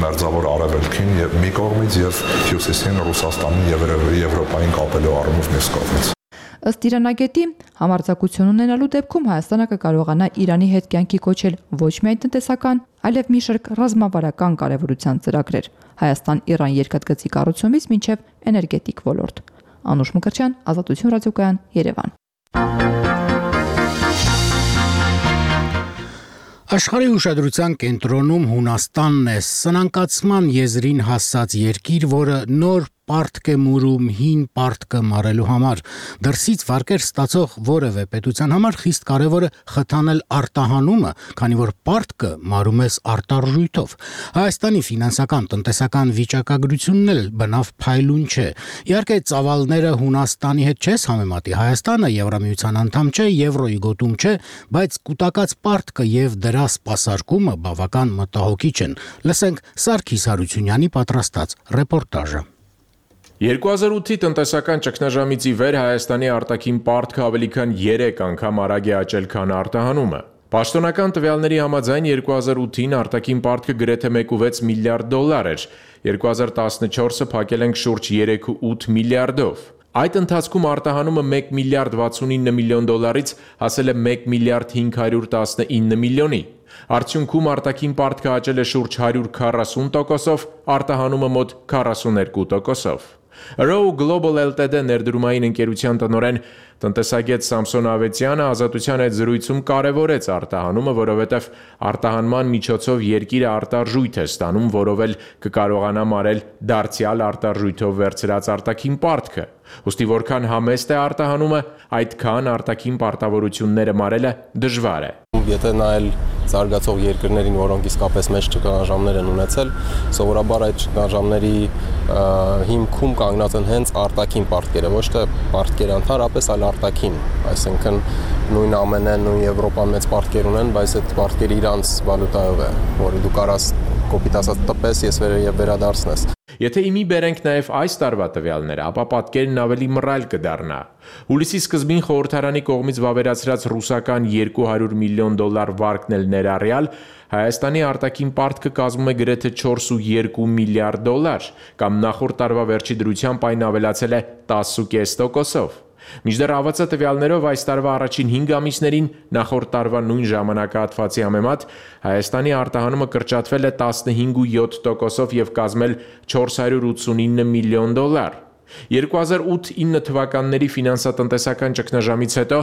մերձավոր արևելքին եւ մի կողմից եւ հյուսիսին Ռուսաստանին եւ Եվրոպային կապելու առումով մյուս կողմից։ Ըստ Իրանագետի, համարձակություն ունենալու դեպքում Հայաստանը կկարողանա Իրանի հետ կյանքի կոչել ոչ միայն տնտեսական, այլև մի շարք ռազմավարական կարևորության ծրագրեր։ Հայաստան-Իրան երկաթգծի կառուցումից մինչև էներգետիկ ոլորտ։ Անուշ Մկրտչյան, Ազատություն ռադիոկայան, Երևան։ Աշխարհի ուշադրության կենտրոնում Հունաստանն է, սնանկացման եզրին հասած երկիր, որը նոր պարտք է մուրում հին պարտքը մարելու համար։ Դրսից վարկեր ստացող որևէ պետության համար խիստ կարևոր է խթանել արտահանումը, քանի որ պարտքը մարում ես արտարժույթով։ Հայաստանի ֆինանսական տնտեսական վիճակագրությունն էլ բնավ փայլուն չէ։ Իհարկե ծավալները Հունաստանի հետ չես համեմատի, Հայաստանը Եվրամիության անդամ չէ, Եվրոյի գոտում չէ, բայց կուտակած պարտքը եւ դրա սպասարկումը բավական մտահոգիչ են։ Լսենք Սարգիս Հարությունյանի պատրաստած ռեպորտաժը։ 2008-ի տնտեսական ճգնաժամից ի վեր Հայաստանի արտաքին պարտքը ավելի քան 3 անգամ արագ է աճել, քան արտահանումը։ Պաշտոնական տվյալների համաձայն 2008-ին արտաքին պարտքը գրեթե 1.6 միլիարդ դոլար էր, 2014-ը փակել ենք շուրջ 3.8 միլիարդով։ Այդ ընթացքում արտահանումը 1 միլիարդ 69 միլիոն դոլարից հասել է 1 միլիարդ 519 միլիոնի։ Արդյունքում արտաքին պարտքը աճել է շուրջ 140%-ով, արտահանումը մոտ 42%-ով։ Row Global Ltd ներդրումային ընկերության տնօրեն տնտեսագետ Սամսոն Ավետյանը Ազատության հետ զրույցում կարևորեց արտահանումը, որովհետև արտահանման միջոցով երկիրը արտարժույթ է ստանում, որով էլ կկարողանա մարել դարձյալ արտարժույթով վերցրած արտաքին պարտքը։ Ուստի որքան համեստ է արտահանումը, այդքան արտաքին պարտավորությունները մարելը դժվար է։ Եթե նայել զարգացող երկրներին, որոնք իսկապես մեծ ճգնաժամներ են ունեցել, սովորաբար այդ ճգնաժամերի հիմքում կանգնած են հենց արտաքին պարտքերը, ոչ թե պարտքերը ընդհանրապես, այլ արտաքին, այսինքն նույն ԱՄՆ-ն, նույն Եվրոպան մեծ պարտքեր ունեն, բայց այդ պարտքերը իրանց վալյուտայով է, որը դու կարաս կոպիտ ասած տպես, ես վերադարձնես։ Եթե իմի բերենք նաև այս տարվա տվյալները, ապա պատկերն ավելի մռայլ կդառնա։ Հուլիսի սկզբին խորհրդարանի կողմից վավերացրած ռուսական 200 միլիոն դոլար վարկն էլ ներառյալ, Հայաստանի արտաքին պարտքը կազմում է գրեթե 4.2 միլիարդ դոլար, կամ նախորդ տարվա վերջի դրությամբ այն ավելացել է 10.5%-ով։ Մինչդեռ ԱՎԾ տվյալներով այս տարվա առաջին 5 ամիսներին նախորդ տարվա նույն ժամանակահատվածի համեմատ Հայաստանի արտահանումը կրճատվել է 15.7%-ով եւ կազմել 489 միլիոն դոլար։ 2008-9 թվականների ֆինանսատնտեսական ճգնաժամից հետո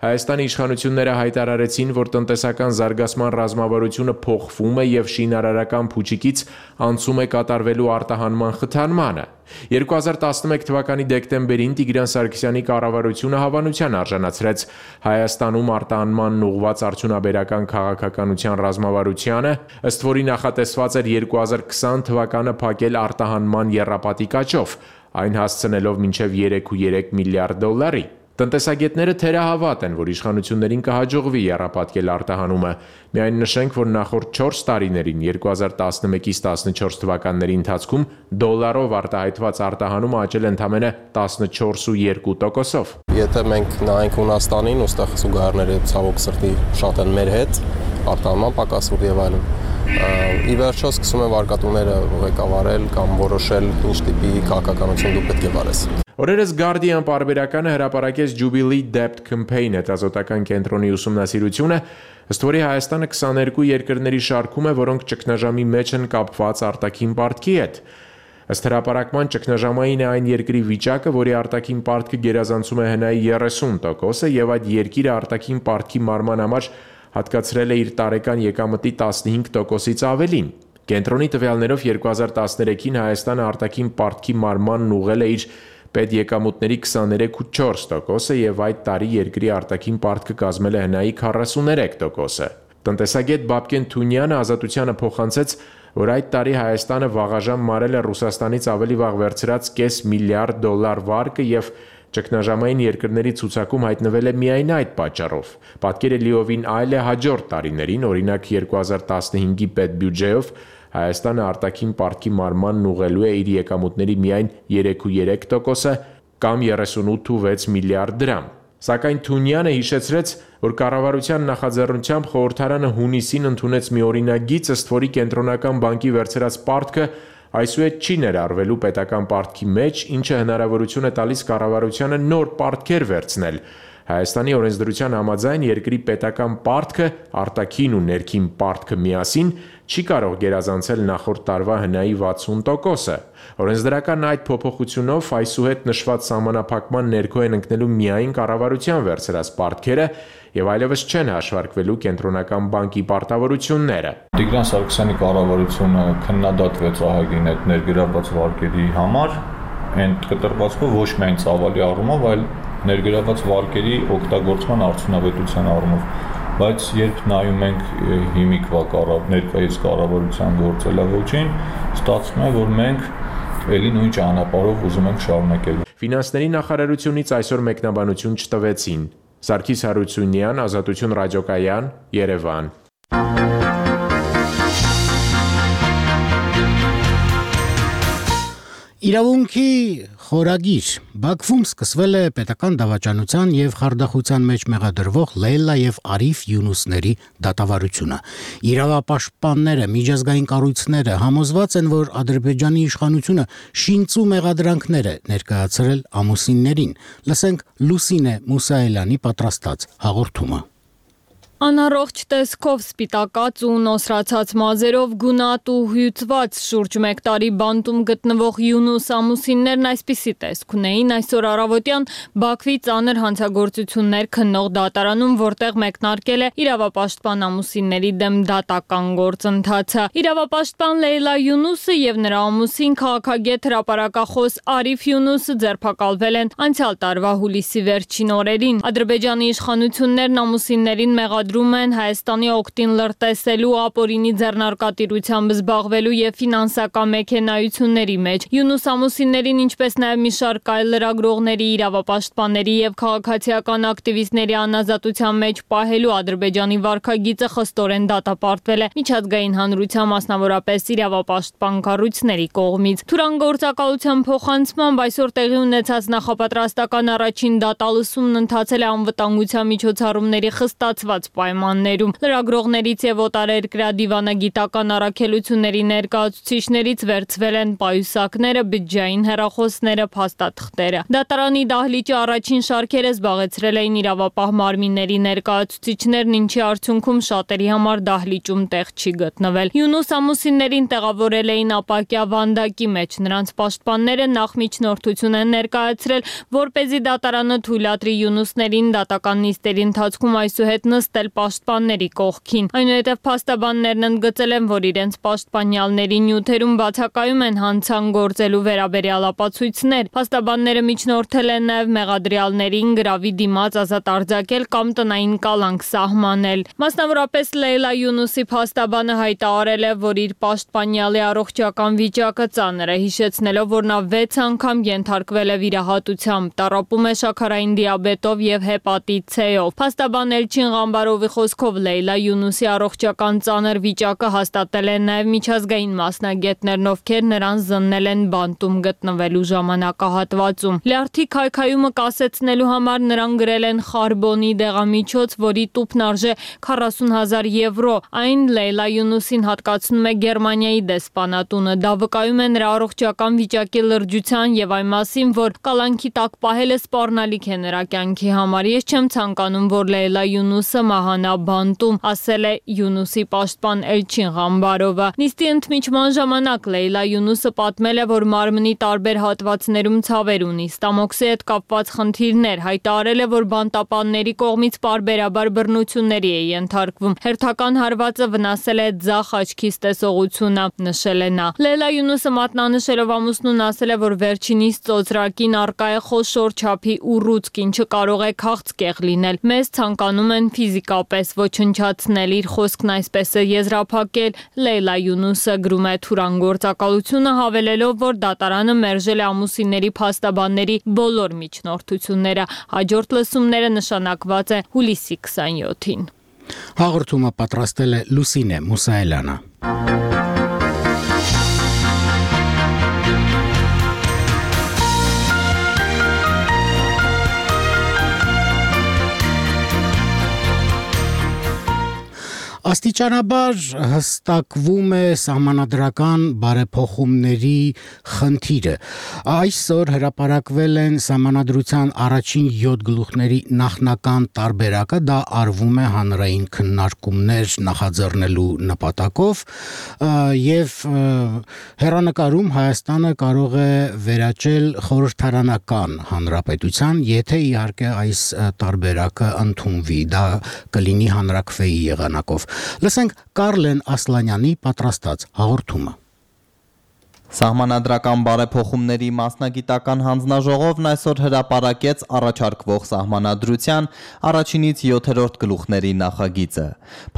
Հայաստանի իշխանությունները հայտարարեցին, որ տնտեսական զարգացման ռազմավարությունը փոխվում է եւ շինարարական փուչիկից անցում է կատարվելու արտահանման խթանմանը։ 2011 թվականի դեկտեմբերին Տիգրան Սարգսյանի կառավարությունը հավանության արժանացրեց Հայաստանում արտահանմանն ուղղված արդյունաբերական քաղաքականության ռազմավարությանը, ըստ որի նախատեսված էր 2020 թվականը փակել արտահանման եռապատիկ աճով, այն հասցնելով մինչև 3.3 միլիարդ դոլարի։ Տնտեսագետները թերահավատ են, որ իշխանություններին կհաջողվի եռապատկել արտահանումը։ Միայն նշենք, որ նախորդ 4 տարիներին 2011-ից 14 թվականների ընթացքում դոլարով արտահայտված արտահանումը աճել ընդամենը 14.2%-ով։ Եթե մենք նայենք Հունաստանին, ուստեղ զուգահեռները ցավոք սրտի շատ են մեր հետ, արտահանման պակասում եւ այլն։ Ի վերջո սկսում են վարկատուները ղեկավարել կամ որոշել ինչ տիպի քաղաքականություն դու պետք է վարես։ Օրերս Guardian պարբերականը հրապարակեց Jubilee Debt Campaign հետազոտական կենտրոնի ուսումնասիրությունը, ըստ որի Հայաստանը 22 երկրների շարքում է, որոնք ճգնաժամի մեջ են կապված արտաքին պարտքի հետ։ Ըստ հրապարակման ճգնաժամային է այն երկրի վիճակը, որի արտաքին պարտքը գերազանցում է հնայի 30%-ը եւ այդ երկիրը արտաքին պարտքի մարման համար հատկացրել է իր տարեկան եկամտի 15%-ից ավելին։ Կենտրոնի տվյալներով 2013-ին Հայաստանը արտաքին պարտքի մարմանն ուղղել է իր պետեկամուտների 23.4%-ը եւ այդ տարի երկրի արտաքին պարտքը կազմել է հնայի 43%-ը։ Տնտեսագետ Բաբկեն Թունյանը Ազատությանը փոխանցեց, որ այդ տարի Հայաստանը վաղաժամ մարել է Ռուսաստանից ավելի վաղ վերցրած կես միլիարդ դոլար վարկը եւ ճգնաժամային երկրների ցուցակում հայտնվել է միայն այդ պատճառով։ Պատկերը լիովին այլ է հաջորդ տարիներին, օրինակ 2015-ի պետբյուջեով Հայաստանը արտաքին պարտքի մարմանն ուղղելու է իր եկամուտների միայն 3.3%-ը կամ 38.6 միլիարդ դրամ։ Սակայն Թունյանը հիշեցրեց, որ կառավարության նախաձեռնությամբ խորհրդարանը հունիսին ընդունեց մի օրինագիծ, ըստ որի կենտրոնական բանկի վերցրած պարտքը այսուհետ չի ներառվելու պետական պարտքի մեջ, ինչը հնարավորություն է տալիս կառավարությանը նոր պարտքեր վերցնել։ Հայաստանի օրենսդրության համաձայն երկրի պետական պարտքը, արտաքին ու ներքին պարտքը միասին չի կարող գերազանցել նախորդ տարվա հնայի 60%-ը։ Օրենսդրական այդ փոփոխությունով այսուհետ նշված սահմանափակման ներքո են ընկնելու միայն կառավարության վերցրած պարտքերը եւ այլևս չեն հաշվարկվելու կենտրոնական բանկի պարտավորությունները։ Տիգրան Սարգսյանի կառավարությունը քննադատվեց ահագին այդ ներգրավված վարկերի համար, այն կտրվածքով ոչ միայն ծավալի առումով, այլ ներգրավված վարկերի օգտագործման արդյունավետության առումով, բայց երբ նայում ենք հիմիկվա ներկայիս կառավարության գործելավոճին, ստացվում է, որ մենք էլի նույն ճանապարհով ուզում ենք շարունակել։ Ֆինանսների նախարարությունից այսօր մեկնաբանություն չտվեցին։ Սարգիս Հարությունյան, Ազատություն ռադիոկայան, Երևան։ Իրավունքի խորագիր Բաքվում սկսվել է պետական դավաճանության եւ խարդախության մեջ մեղադրվող Լեյլա եւ Արիֆ Յունուսների դատավարությունը։ Իրավապաշտպանները, միջազգային կառույցները համոզված են, որ Ադրբեջանի իշխանությունը շինծու մեղադրանքներ է ներկայացրել ամուսիններին։ Լսենք Լուսինե Մուսայելյանի պատրաստած հաղորդումը։ Անառողջ տեսքով սպիտակած ու նոսրացած մազերով գունատ ու հյուծված շուրջ 1 տարի բանտում գտնվող Յունուս ամուսիններն այսպիսի տեսք ունեին այսօր առավոտյան Բաքվի ծանր հանցագործություններ քննող դատարանում, որտեղ մեկնարկել է իրավապաշտպան ամուսինների դեմ դատական գործընթացը։ Իրավապաշտպան Լեյլա Յունուսը եւ նրա ամուսին քաղաքագետ հրապարակախոս Արիֆ Յունուսը ձերբակալվել են անցյալ տարվա հուլիսի վերջին օրերին։ Ադրբեջանի իշխանություններն ամուսիններին մեղադրում են Հայաստանի օգտին լրտեսելու, ապօրինի ձեռնարկատիրությամբ զբաղվելու եւ ֆինանսական մեքենայությունների մեջ։ Յունուս ամուսիններին, ինչպես նաեւ մի շարք այլ լրագրողների, իրավապաշտպանների եւ քաղաքացիական ակտիվիստների անազատության մեջ պահելու Ադրբեջանի վարքագիծը խստորեն դատապարտվել է միջազգային հանրության, մասնավորապես իրավապաշտպան կառույցների կողմից։ Թուրան գործակալության փոխանցմամբ այսօր տեղի ունեցած նախապատրաստական առաջին դատալսումն ընթացել է անվտանգության միջոցառումների խստացված պայմաններում։ Լրագրողներից եւ օտարերկրյա դիվանագիտական առաքելությունների ներկայացուցիչներից վերցվել են պայուսակները, բջջային հեռախոսները, փաստաթղթերը։ Դատարանի դահլիճի առաջին շարքերը զբաղեցրել էին իրավապահ մարմինների ներկայացուցիչներն, ինչի արդյունքում շատերի համար դահլիճում տեղ չի գտնվել։ Յունուս ամուսիններին տեղավորել էին ապակյա վանդակի մեջ։ Նրանց պաշտպանները նախ միջնորդություն են ներկայացրել, որպեսզի դատարանը թույլատրի Յունուսներին դատական նիստերի ընթացքում այսուհետ նստել պաշտպանների կողքին։ Այնուհետև փաստաբաններն ընդգծել են, որ իրենց պաշտպանյալների նյութերում բացակայում են հանցան գործելու վերաբերյալ ապացույցներ։ Փաստաբանները միջնորդել են նաև մեղադրյալներին գրավի դիմաց ազատ արձակել կամ տնային կալանք սահմանել։ Մասնավորապես Լեյլա Յունուսի փաստաբանը հայտարարել է, որ իր պաշտպանյալի առողջական վիճակը ծանր է, հիշեցնելով, որ նա 6 անգամ ենթարկվել է վիրահատությամբ, տառապում է շաքարային դիաբետով եւ հեպատիտ C-ով։ Փաստաբան Էլչին Ղամբարովի խոսքով Լեյլա Յունուսի առողջական ծանր վիճակը հաստատել են նաև միջազգային մասնագետներն, ովքեր նրան զննել են բանտում գտնվելու ժամանակահատվածում։ Լյարդի քայքայումը կասեցնելու համար նրան գրել են խարբոնի դեղամիջոց, որի տուփն արժե 40,000 եվրո։ Այն Լեյլա Յունուսին հատկացնում է Գերմանիայի դեսպանատունը։ Դա վկայում է նրա առողջական վիճակի լրջության եւ այն մասին, որ կալանքի տակ պահելը սպառնալիք է նրա կյանքի համար։ Ես չեմ ցանկանում, որ Լեյլա Յունուսը մահանա բանտում, ասել է Յունուսի պաշտպան Էլչին Ղամբարովը։ Նիստի ընդմիջման ժամանակ Լեյլա Յունուսը պատմել է, որ մարմնի տարբեր հատվածներում ցավեր ունի, ստամոքսի հետ կապված խնդիրներ, հայտարարել է, որ բանտապանների կողմից պարբերաբար բռնությունների է ենթարկվում։ Հերթական հարվածը վնասել է ձախ աչքիս տեսողությունը, նշել է նա։ Լեյլա Յունուսը մատնանշելով ամուսնուն ասել է, որ վերջինիս ծոծրակին առկա է խոշոր չափի ուռուցք, ինչը կարող է քաղցկեղ լինել։ Մեզ ցանկանում են ֆիզիկապես ոչնչացնել, իր խոսքն այսպես է եզրափակել Լեյլա Յունուսը, գրում է Թուրան գործակալությունը, հավելելով, որ դատարանը մերժել է ամուսինների փաստաբանների բոլոր միջնորդությունները։ Հաջորդ լսումները նշանակված է հուլիսի 27-ին։ Հաղորդումը պատրաստել է Լուսինե Մուսայելյանը։ Աստիճանաբար հստակվում է սահմանադրական բարեփոխումների խնդիրը։ Այսօր հրապարակվել են սահմանադրության առաջին 7 գլուխների նախնական տարբերակը, դա արվում է հանրային քննարկումներ նախաձեռնելու նպատակով եւ հեռանկարում Հայաստանը կարող է վերաճել խորհրդարանական հանրապետության, եթե իհարկե այս տարբերակը ընդունվի, դա կլինի հանրաքվեի եղանակով։ Լսենք Կարլեն Ասլանյանի պատրաստած հաղորդումը։ Սահմանադրական բարեփոխումների մասնագիտական հանձնաժողովն այսօր հրապարակեց առաջարկվող սահմանադրության առաջինից 7-րդ գլուխների նախագիծը։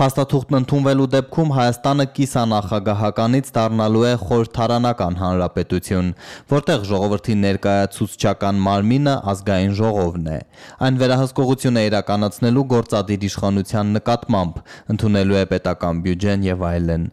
Փաստաթուղթն ընդունվելու դեպքում Հայաստանը կիսանախագահականից դառնալու է խորհրդարանական հանրապետություն, որտեղ ժողովրդի ներկայացուցչական մարմինը ազգային ժողովն է։ Այն վերահսկողություն է իրականացնելու գործադիր իշխանության նկատմամբ, ընդունելու է պետական բյուջեն եւ այլն։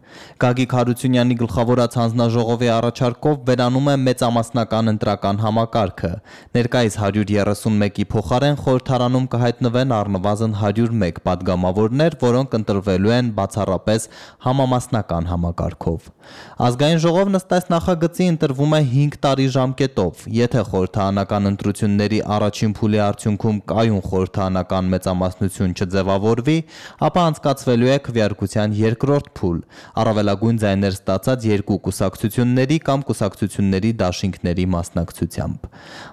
Գագիկ Հարությունյանի գլխավորած հանձնաժողովի առաջարկով վերանում է մեծամասնական ընտրական համակարգը։ Ներկայիս 131-ի փոխարեն խորհրդարանում կհայտնվեն առնվազն 101 պատգամավորներ, որոնք ընտրվելու են բացառապես համամասնական համակարգով։ Ազգային ժողովն ըստ այս նախագծի ընտրվում է 5 տարի ժամկետով։ Եթե խորհրդարանական ընտրությունների առաջին փուլի արդյունքում կայուն խորհրդարանական մեծամասնություն չձևավորվի, ապա անցկացվելու է քվեարկության երկրորդ փուլ, առավելագույն ձայներ ստացած երկու կուսակցությունների կամ կուսակցությունների դաշինքների մասնակցությամբ։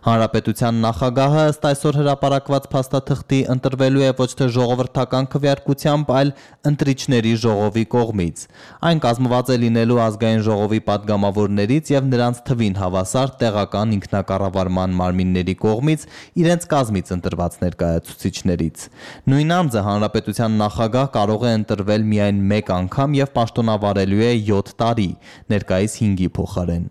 Հանրապետության նախագահը ըստ այսօր հրապարակված փաստաթղթի ընտրվելու է ոչ թե ժողովրդական քվեարկությամբ, այլ ընտրիչների ժողովի կողմից։ Այն կազմված է լինելու ազգային ժողովի պատգամավորներից եւ նրանց թվին հավասար տեղական ինքնակառավարման մարմինների կողմից իրենց կազմից ընտրված ներկայացուցիչներից։ Նույն անձը հանրապետության նախագահ կարող է ընտրվել միայն մեկ անգամ եւ պաշտոնավարելու է 7 տարի, ներկայիս 5-ի փոխարեն։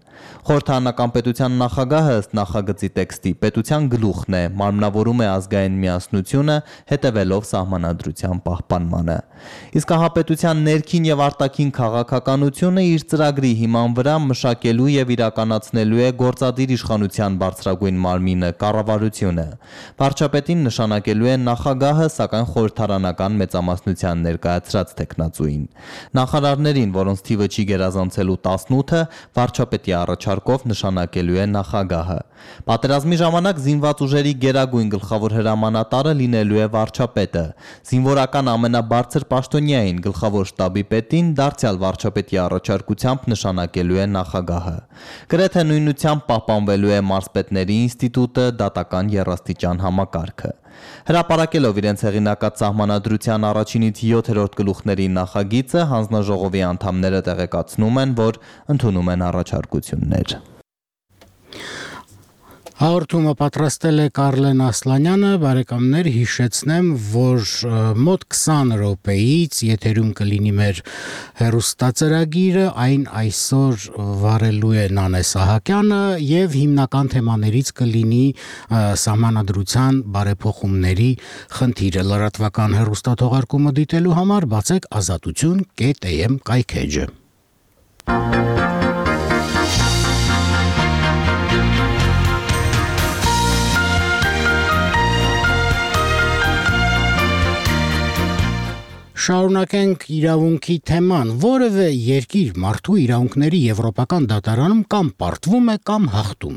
Խորհրդարանական պետության նախագահը ըստ նախագծի տեքստի պետության գլուխն է, մարմնավորում է ազգային միասնությունը, հետևելով սահմանադրության պահպանմանը։ Իսկ հապետության ներքին եւ արտաքին քաղաքականությունը իր ծրագրի հիման վրա մշակելու եւ իրականացնելու է գործադիր իշխանության բարձրագույն մարմինը, կառավարությունը։ Վարչապետին նշանակելու է նախագահը, սակայն խորհրդարանական մեծամասնության ներկայացրած տեխնացուին։ Նախարարներին, որոնց թիվը չի գերազանցելու 18-ը, վարչապետի առաջարկով նշանակելու է նախագահը։ Պատերազմի ժամանակ զինված ուժերի գերագույն գլխավոր հրամանատարը լինելու է վարչապետը։ Զինվորական ամենաբարձր պաշտոնյային գլխավոր շտաբի պետին դարձյալ վարչապետի առաջարկությամբ նշանակելու է նախագահը։ Գրեթե նույնությամբ պահպանվելու է մարզպետների ինստիտուտը, դատական եռաստիճան համակարգը։ Հրապարակելով իրենց հեղինակած սահմանադրության առաջինից 7-րդ գլուխների նախագիծը, հանձնաժողովի անդամները տեղեկացնում են, որ ընդունում են առաջարկություններ։ Հաղորդումը պատրաստել է Կարլեն Ասլանյանը, բարեկամներ, հիշեցնեմ, որ մոտ 20 րոպեից եթերում կլինի մեր հեռուստածրագիրը, այն այսօր վարելու է Նանե Սահակյանը եւ հիմնական թեմաներից կլինի սահմանադրության բարեփոխումների խնդիրը։ Լրատվական հեռուստաթողարկումը դիտելու համար բացեք azatutun.am կայքեջը։ Շարունակենք իրավունքի թեման, որևէ երկիր մարդու իրավունքների եվրոպական դատարանում կամ պարտվում է կամ հաղթում,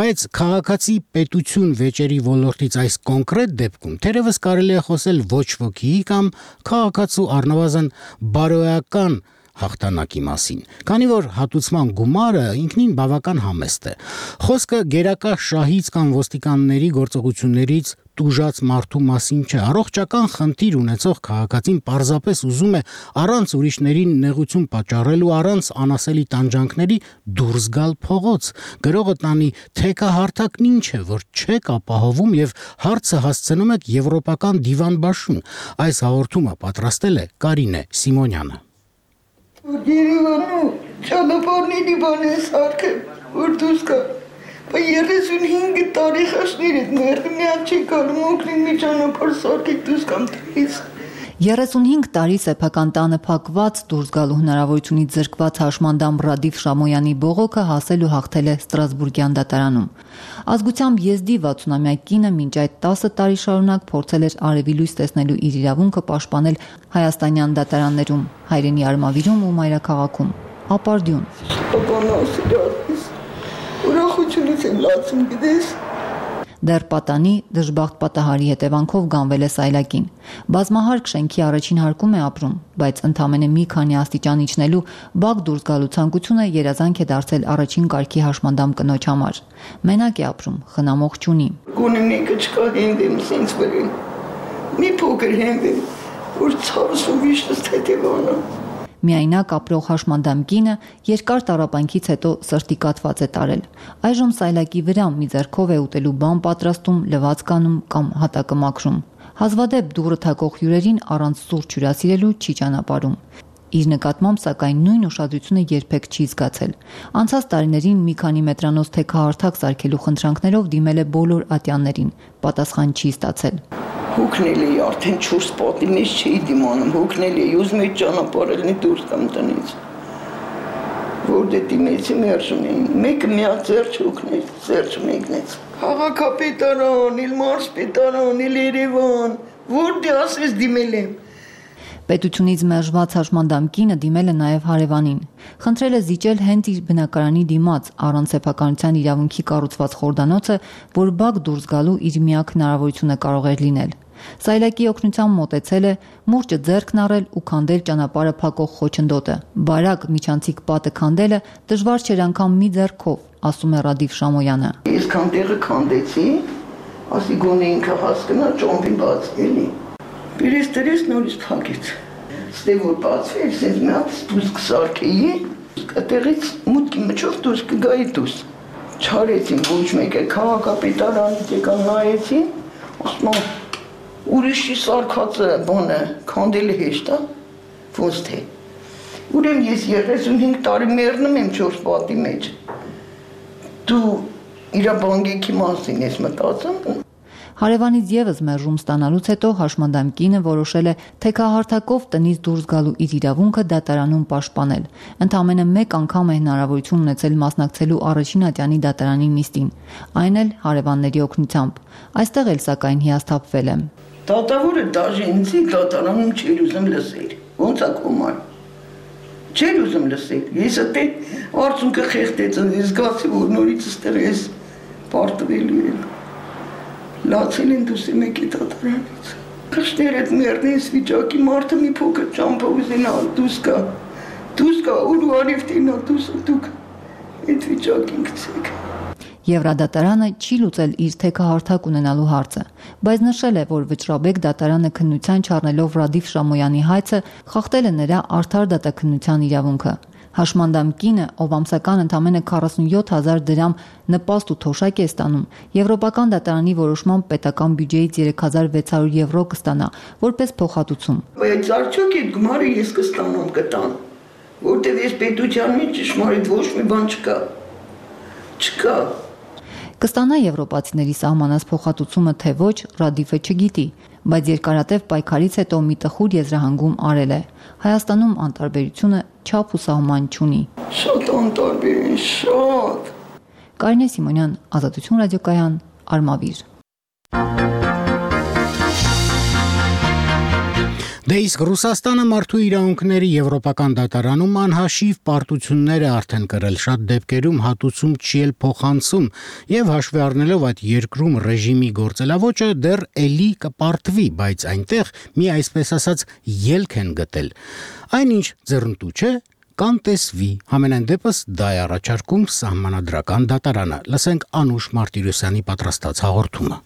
բայց քաղաքացի պետություն վեճերի ոլորտից այս կոնկրետ դեպքում թերևս կարելի է խոսել ոչ ոքիի կամ քաղաքացու առնվազն բարոյական հաղթանակի մասին, քանի որ հատուցման գումարը ինքնին բավական համեստ է։ Խոսքը գերակա շահից կամ ոստիկանների գործողություններից տուժած մարդու մասին չէ։ Առողջական խնդիր ունեցող քաղաքացին պարզապես ուզում է առանց ուրիշներին նեղություն պատճառելու, առանց անասելի տանջանքների դուրս գալ փողոց։ Գրողը տանի թեկահարթակն ինչ է, որ չեք ապահովում եւ հարցը հասցնում եք եվրոպական դիվանբաշուն։ Այս հաղորդումը պատրաստել է Կարինե Սիմոնյանը։ Երևանում ճանապարհների բանես արքը որ դուրս գա։ Բայց 35 տարի խաշներ հետ մերն միակ չի գալու օգնի մի ճանապարհ սարքեք դուրս կամ դրից։ 35 տարի սեփական տանը փակված դուրս գալու հնարավորությունից զրկված հաշմանդամ Ռադիֆ Շամոյանի բողոքը հասել ու հաղթել է Ստրասբուրգյան դատարանում։ Ազգությամբ եզդի 60-ամյա կինը մինչ այդ 10 տարի շարունակ փորձել էր արևի լույս տեսնելու իր իրավունքը պաշտպանել հայաստանյան դատարաններում, հայրենի Արմավիրում ու մայրաքաղաքում։ Ապարդյուն։ Ուրախությունից եմ լացում, գիտես։ Դեռ պատանի դժբախտ պատահարի հետևանքով գանվել է սայլակին։ Բազմահարկ շենքի առաջին հարկում է ապրում, բայց ընդամենը մի քանի աստիճան իջնելու բակ դուրս գալու ցանկությունը երազանք է դարձել առաջին կարգի հաշմանդամ կնոջ համար։ Մենակ է ապրում, խնամող չունի։ Գոնե մեկը չկա հենվեմ, սենց վրին։ Մի փոքր հենվեմ, որ ցավս ու վիշտս թեթևանա։ Միայնակ ապրող հաշմանդամ կինը երկար տառապանքից հետո սրտի կաթված է տարել։ Այժմ սայլակի վրա մի ձեռքով է ուտելու բան պատրաստում, լվացք անում կամ հատակը մաքրում։ Հազվադեպ դուռը թակող հյուրերին առանց սուրճ հյուրասիրելու չի ճանապարհում։ Իր նկատմամբ սակայն նույն ուշադրությունը երբեք չի զգացել։ Անցած տարիներին մի քանի մետրանոց թեքահարթակ սարքելու խնդրանքներով դիմել է բոլոր ատյաններին, պատասխան չի ստացել։ Հոգնել էի, արդեն 4 պատի մեջ չէի դիմանում, հոգնել էի, ուզում էի ճանապարհելնի դուրս կամ տնից։ Որ դե դիմեցի մերժում էին, մեկը միակ ձեռք հոգնել, ձեռք մեկնեց։ Քաղաքապետարան, իլ մարզպետարան, իլ Երևան, որ դե ասես դիմել եմ։ Պետությունից մերժված հաշմանդամ կինը դիմել է նաև հարևանին։ Խնդրել է զիջել հենց իր բնակարանի դիմաց առանց սեփականության իրավունքի կառուցված խորդանոցը, որ բակ դուրս գալու իր միակ հնարավորությունը կարող էր լինել։ Սայլակի օգնությամբ մոտեցել է, մուրճը ձեռքն առել ու քանդել ճանապարհը փակող խոչընդոտը։ Բարակ միջանցիկ պատը քանդելը դժվար չէր անգամ մի ձեռքով, ասում է Ռադիֆ Շամոյանը։ Ես քանդեղը քանդեցի, ասի գոնե ինքը հասկանա ճոմպի բացելի։ Բերես դրես նորից փակեց։ Ստե որ բացվեր, սենց մի հատ դուրս կսարքեի, այդտեղից մուտքի միջով դուրս կգայի դուրս։ Չարեցին ոչ մեկը քաղաքապետարանից եկան նայեցին, ասում են ուրիշի սարքածը բանը քանդելը հեշտ է, ոնց թե։ Ուրեմն ես 35 տարի մեռնում եմ 4 պատի մեջ։ Դու իրա բանկի մասին ես մտածում։ Հարևանից եւս մերժում ստանալուց հետո հաշմանդամ կինը որոշել է թեքահարթակով տնից դուրս գալու իր իրավունքը դատարանում պաշտպանել։ Ընդամենը մեկ անգամ է հնարավորություն ունեցել մասնակցելու առաջին ատյանի դատարանի նիստին, այն էլ հարևանների օգնությամբ։ Այստեղ էլ սակայն հիասթափվել եմ։ Դատավորը դաժինցի դատարանում չէր ուզում լսել։ Ոնց է կոմար։ Չէր ուզում լսել։ Ես դե արցունքը խեղդեց, ես զգացի, որ նորից ստեղ ես պարտվելու եմ։ Լացել են դուսի մեկի դատարանից։ Քշներ այդ մերնից վիճակի մարդը մի փոքր ճամփա ուզենա դուս կա ու արիվտինա դուս դուք այդ վիճակին գցեք։ Եվրադատարանը չի լուծել իր թեքահարթակ ունենալու հարցը, բայց նշել է, որ Վճռաբեկ դատարանը քննության չառնելով Ռադիֆ Շամոյանի հայցը խախտել է նրա արդար դատաքննության իրավունքը։ Հաշմանդամ կինը, ով ամսական ընդամենը 47,000 դրամ նպաստ ու թոշակ է ստանում, Եվրոպական դատարանի որոշմամբ պետական բյուջեից 3600 եվրո կստանա, որպես փոխհատուցում։ Բայց արդյոք այդ գումարը ես կստանամ կտան, որտեղ ես պետության մեջ ճշմարիտ ոչ մի բան չկա։ Կստանա եվրոպացիների սահմանած փոխհատուցումը թե ոչ, Ռադիֆը չգիտի, բայց երկարատև պայքարից հետո մի տխուր եզրահանգում արել է։ Հայաստանում անտարբերությունը չափ ու սահման չունի։ Շատ անտարբեր են, շատ։ Կարինե Սիմոնյան, Ազատություն ռադիոկայան, Արմավիր։ Դե իսկ Ռուսաստանը մարդու իրավունքների եվրոպական դատարանում անհաշիվ պարտություններ է արդեն կրել, շատ դեպքերում հատուցում չի էլ փոխանցում, եւ հաշվի առնելով այդ երկրում ռեժիմի գործելավոճը դեռ էլի կպարտվի, բայց այնտեղ մի այսպես ասած ելք են գտել։ Այնինչ ձեռնտու չէ, կանտեսվի, համենայն դեպս դա է առաջարկում սահմանադրական դատարանը։ Լսենք Անուշ Մարտիրոսյանի պատրաստած հաղորդումը։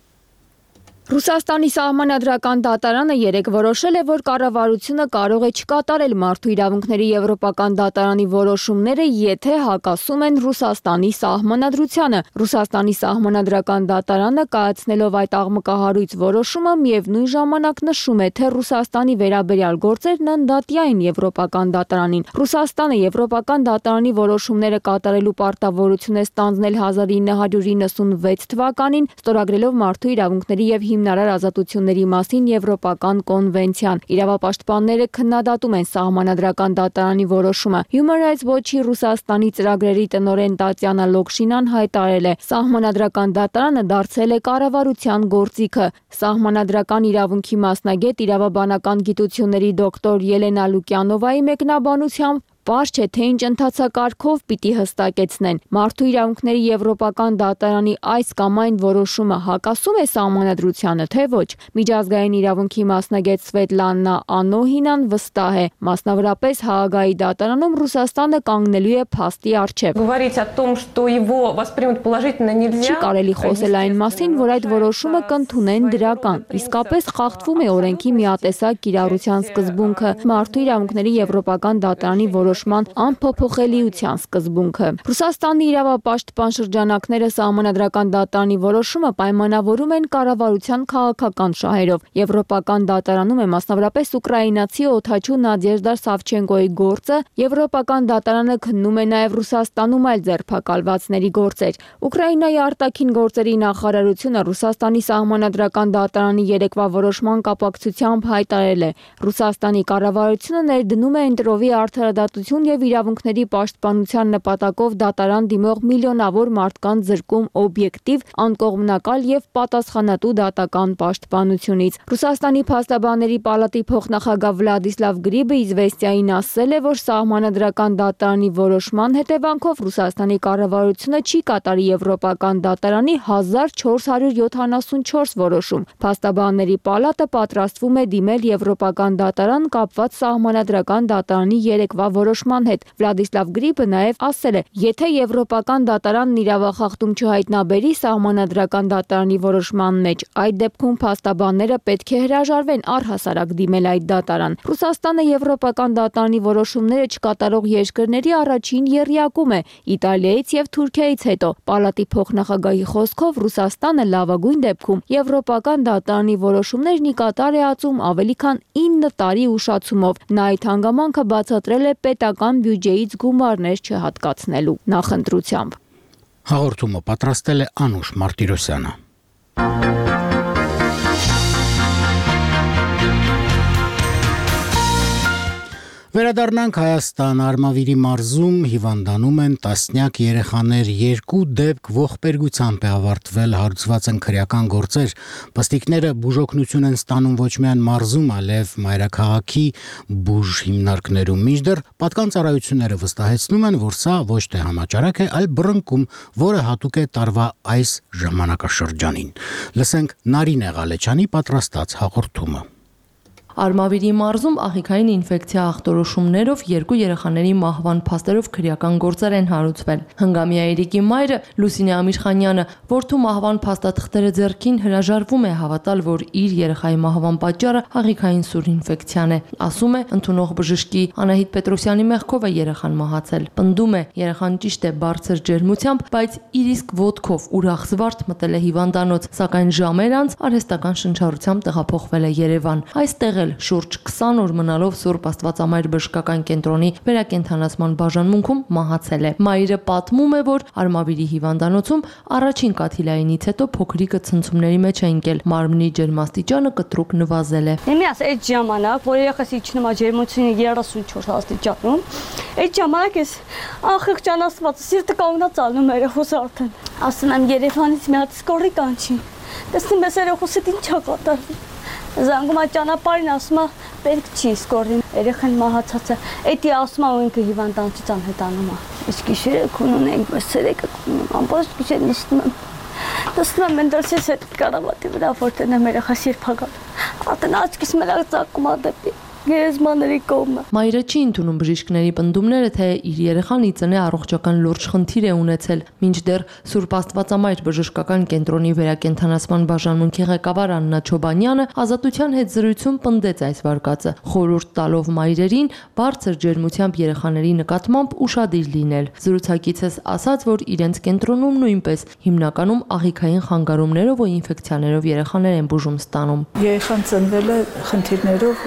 Ռուսաստանի սահմանադրական դատարանը երեկ որոշել է, որ կառավարությունը կարող է չկատարել մարդու իրավունքների եվրոպական դատարանի որոշումները, եթե հակասում են Ռուսաստանի սահմանադրությանը։ Ռուսաստանի սահմանադրական դատարանը կայացնելով այդ աղմկահարույց որոշումը միևնույն ժամանակ նշում է, թե Ռուսաստանի վերաբերյալ գործերն ընդդատյա են եվրոպական դատարանին։ Ռուսաստանը եվրոպական դատարանի որոշումները կատարելու պարտավորություն է ստանձնել 1996 թվականին, ստորագրելով մարդու իրավունքների եւ հիմնարար ազատությունների մասին Եվրոպական կոնվենցիան։ Իրավապաշտպանները քննադատում են Սահմանադրական դատարանի որոշումը։ Human Rights Watch-ի Ռուսաստանի ծրագրերի տնօրեն Տատյանա Լոկշինան հայտարարել է. Սահմանադրական դատարանը դարձել է կառավարության գործիքը։ Սահմանադրական իրավունքի մասնագետ իրավաբանական գիտությունների դոկտոր Ելենա Լուկյանովայի մեկնաբանությամբ պարզ չէ, թե ինչ ընթացակարգով պիտի հստակեցնեն։ Մարդու իրավունքների Եվրոպական դատարանի այս կամ այն որոշումը հակասում է Սահմանադրությանը, թե ոչ։ Միջազգային իրավունքի մասնագետ Սվետլանա Անոհինան վստահ է, մասնավորապես Հաագայի դատարանում Ռուսաստանը կանգնելու է փաստի առջև։ Չի կարելի խոսել այն մասին, որ այդ որոշումը կընդունեն դրական։ Իսկապես խախտվում է օրենքի միատեսակ կիրառության սկզբունքը, մարդու իրավունքների Եվրոպական դատարանի որոշման անփոփոխելիության սկզբունքը։ Ռուսաստանի իրավապաշտպան շրջանակները Սահմանադրական դատարանի որոշումը պայմանավորում են կառավարության քաղաքական շահերով։ Եվրոպական դատարանում է մասնավորապես ուկրաինացի օդաչու Նադեժդա Սավչենկոյի գործը, Եվրոպական դատարանը քննում է նաև Ռուսաստանում այլ ձերբակալվածների գործեր։ Ուկրաինայի արտաքին գործերի նախարարությունը Ռուսաստանի Սահմանադրական դատարանի երեկվա որոշման կապակցությամբ հայտարարել է. Ռուսաստանի կառավարությունը ներդնում է ընտրովի արդարադատություն եւ իրավունքների պաշտպանության նպատակով դատարան դիմող միլիոնավոր մարդկանց զրկում օբյեկտիվ, անկողմնակալ եւ պատասխանատու դատական պաշտպանությունից։ Ռուսաստանի փաստաբանների պալատի փոխնախագահ Վլադիսլավ Գրիբը Իզվեստիային ասել է, որ Սահմանադրական դատարանի որոշման հետևանքով Ռուսաստանի կառավարությունը չի կատարի Եվրոպական դատարանի 1474 որոշում։ Փաստաբանների պալատը պատրաստվում է դիմել Եվրոպական դատարան կապված Սահմանադրական դատարանի երեկվա որոշման հետ։ Վլադիսլավ Գրիբը նաև ասել է, եթե Եվրոպական դատարանն իրավախախտում չհայտնաբերի Սահմանադրական դատարանի որոշման մեջ, այդ դեպքում փաստաբանները պետք է հրաժարվեն առհասարակ դիմել այդ դատարան։ Ռուսաստանը Եվրոպական դատարանի որոշումները չկատարող երկրների առաջին եռյակում է Իտալիայից եւ Թուրքիայից հետո։ Պալատի փոխնախագահի խոսքով Ռուսաստանը լավագույն դեպքում Եվրոպական դատարանի որոշումներն ի կատար է ածում ավելի քան 9 տարի ուշացումով։ Նա այդ հանգամանքը բացատրել է պետական բյուջեից գումարներ չհատկացնելու նախընտրությամբ։ Հաղորդումը պատրաստել է Անուշ Մարտիրոսյանը։ Վերադառնանք Հայաստան, Արմավիրի մարզում հիվանդանում են տասնյակ երեխաներ, 2 դեպք ողբերգությամբ է ավարտվել, հարուցված են քրեական գործեր, պստիկները բուժօգնություն են ստանում ոչ միայն մարզում, այլև մայրաքաղաքի բուժ հիմնարկներում, մինչդեռ պատկան ծառայությունները վստահեցնում են, որ սա ոչ թե համաճարակ է, այլ բռնկում, որը հատուկ է տարվա այս ժամանակաշրջանին։ Լսենք Նարինե Ղալեչյանի պատրաստած հաղորդումը։ Արմավիրի մարզում աղիքային ինֆեկցիա ախտորոշումներով 2 երեխաների մահվան փաստերով քրեական գործեր են հարուցվել։ Հնգամյա Էրիկի մայրը Լուսինե Ամիրխանյանը որդու մահվան փաստաթղթերը ձեռքին հրաժարվում է հավատալ, որ իր երեխայի մահվան պատճառը աղիքային սուր ինֆեկցիան է։ Ասում է, ընդունող բժշկի Անահիտ Պետրոսյանի մեղքով է երեխան մահացել։ Պնդում է, երեխան ճիշտ է բարձր ջերմությամբ, բայց իր իսկ ոտքով ուրախ զվարթ մտել է հիվանդանոց, սակայն ժամեր անց արհեստական շնչառությամբ տեղափոխվել է Երևան։ Այստեղ շուրջ 20 օր մնալով Սուրբ Աստվածամայր բժշկական կենտրոնի վերակենդանացման բաժանմունքում մահացել է։ Մայրը պատմում է, որ Արմավիրի հիվանդանոցում առաջին կաթիլայինից հետո փոքրիկը ցնցումների մեջ է ընկել, մարմնի ջերմաստիճանը կտրուկ նվազել է։ Իմիաս այդ ժամանակ, որ երեխաս իջնում է ջերմությունը 34 աստիճանում, այդ ժամանակ ես անխղճանացված սիրտը կանգնած ալնում երեխուս արդեն։ Ասում եմ Երևանից մի հատ սկորի կանչի։ Տեսնում ես երեխուսդ ինչ է կատարվում։ Զանգում է ճանապարհին, ասում է պետք չի սկորին, երեխան մահացած է։ Էդի ասում է ինքը հիվանդանոցից անհետանում է։ Իսկ գիշերը քունուն ենք, բայց ցերեկը քունուն, ամբողջ գիշեր նստում եմ։ Նստում եմ մենտալսից այդ կարավատի վրա, որտեղ եմ երեխաս երբ հագալ։ Արդեն աչքիս մենակ ծակում է դեպի գերեզմաների կողմը։ Մայրը չի ընդունում բժիշկների պնդումները, թե իր երեխան իծնե առողջական լուրջ խնդիր է ունեցել, մինչդեռ Սուրբ Աստվածամայր բժշկական կենտրոնի վերակենդանացման բաժանմունքի ղեկավար Աննա Չոբանյանը ազատության հետ զրույցում պնդեց այս վարկածը, խորհուրդ տալով մայրերին բարձր ջերմությամբ երեխաների նկատմամբ ուշադիր լինել։ Զրուցակիցս ասաց, որ իրենց կենտրոնում նույնպես հիմնականում աղիքային խանգարումներով ու ինֆեկցիաներով երեխաներ են բուժում ստանում։ Երեխան ծնվել է խնդիրներով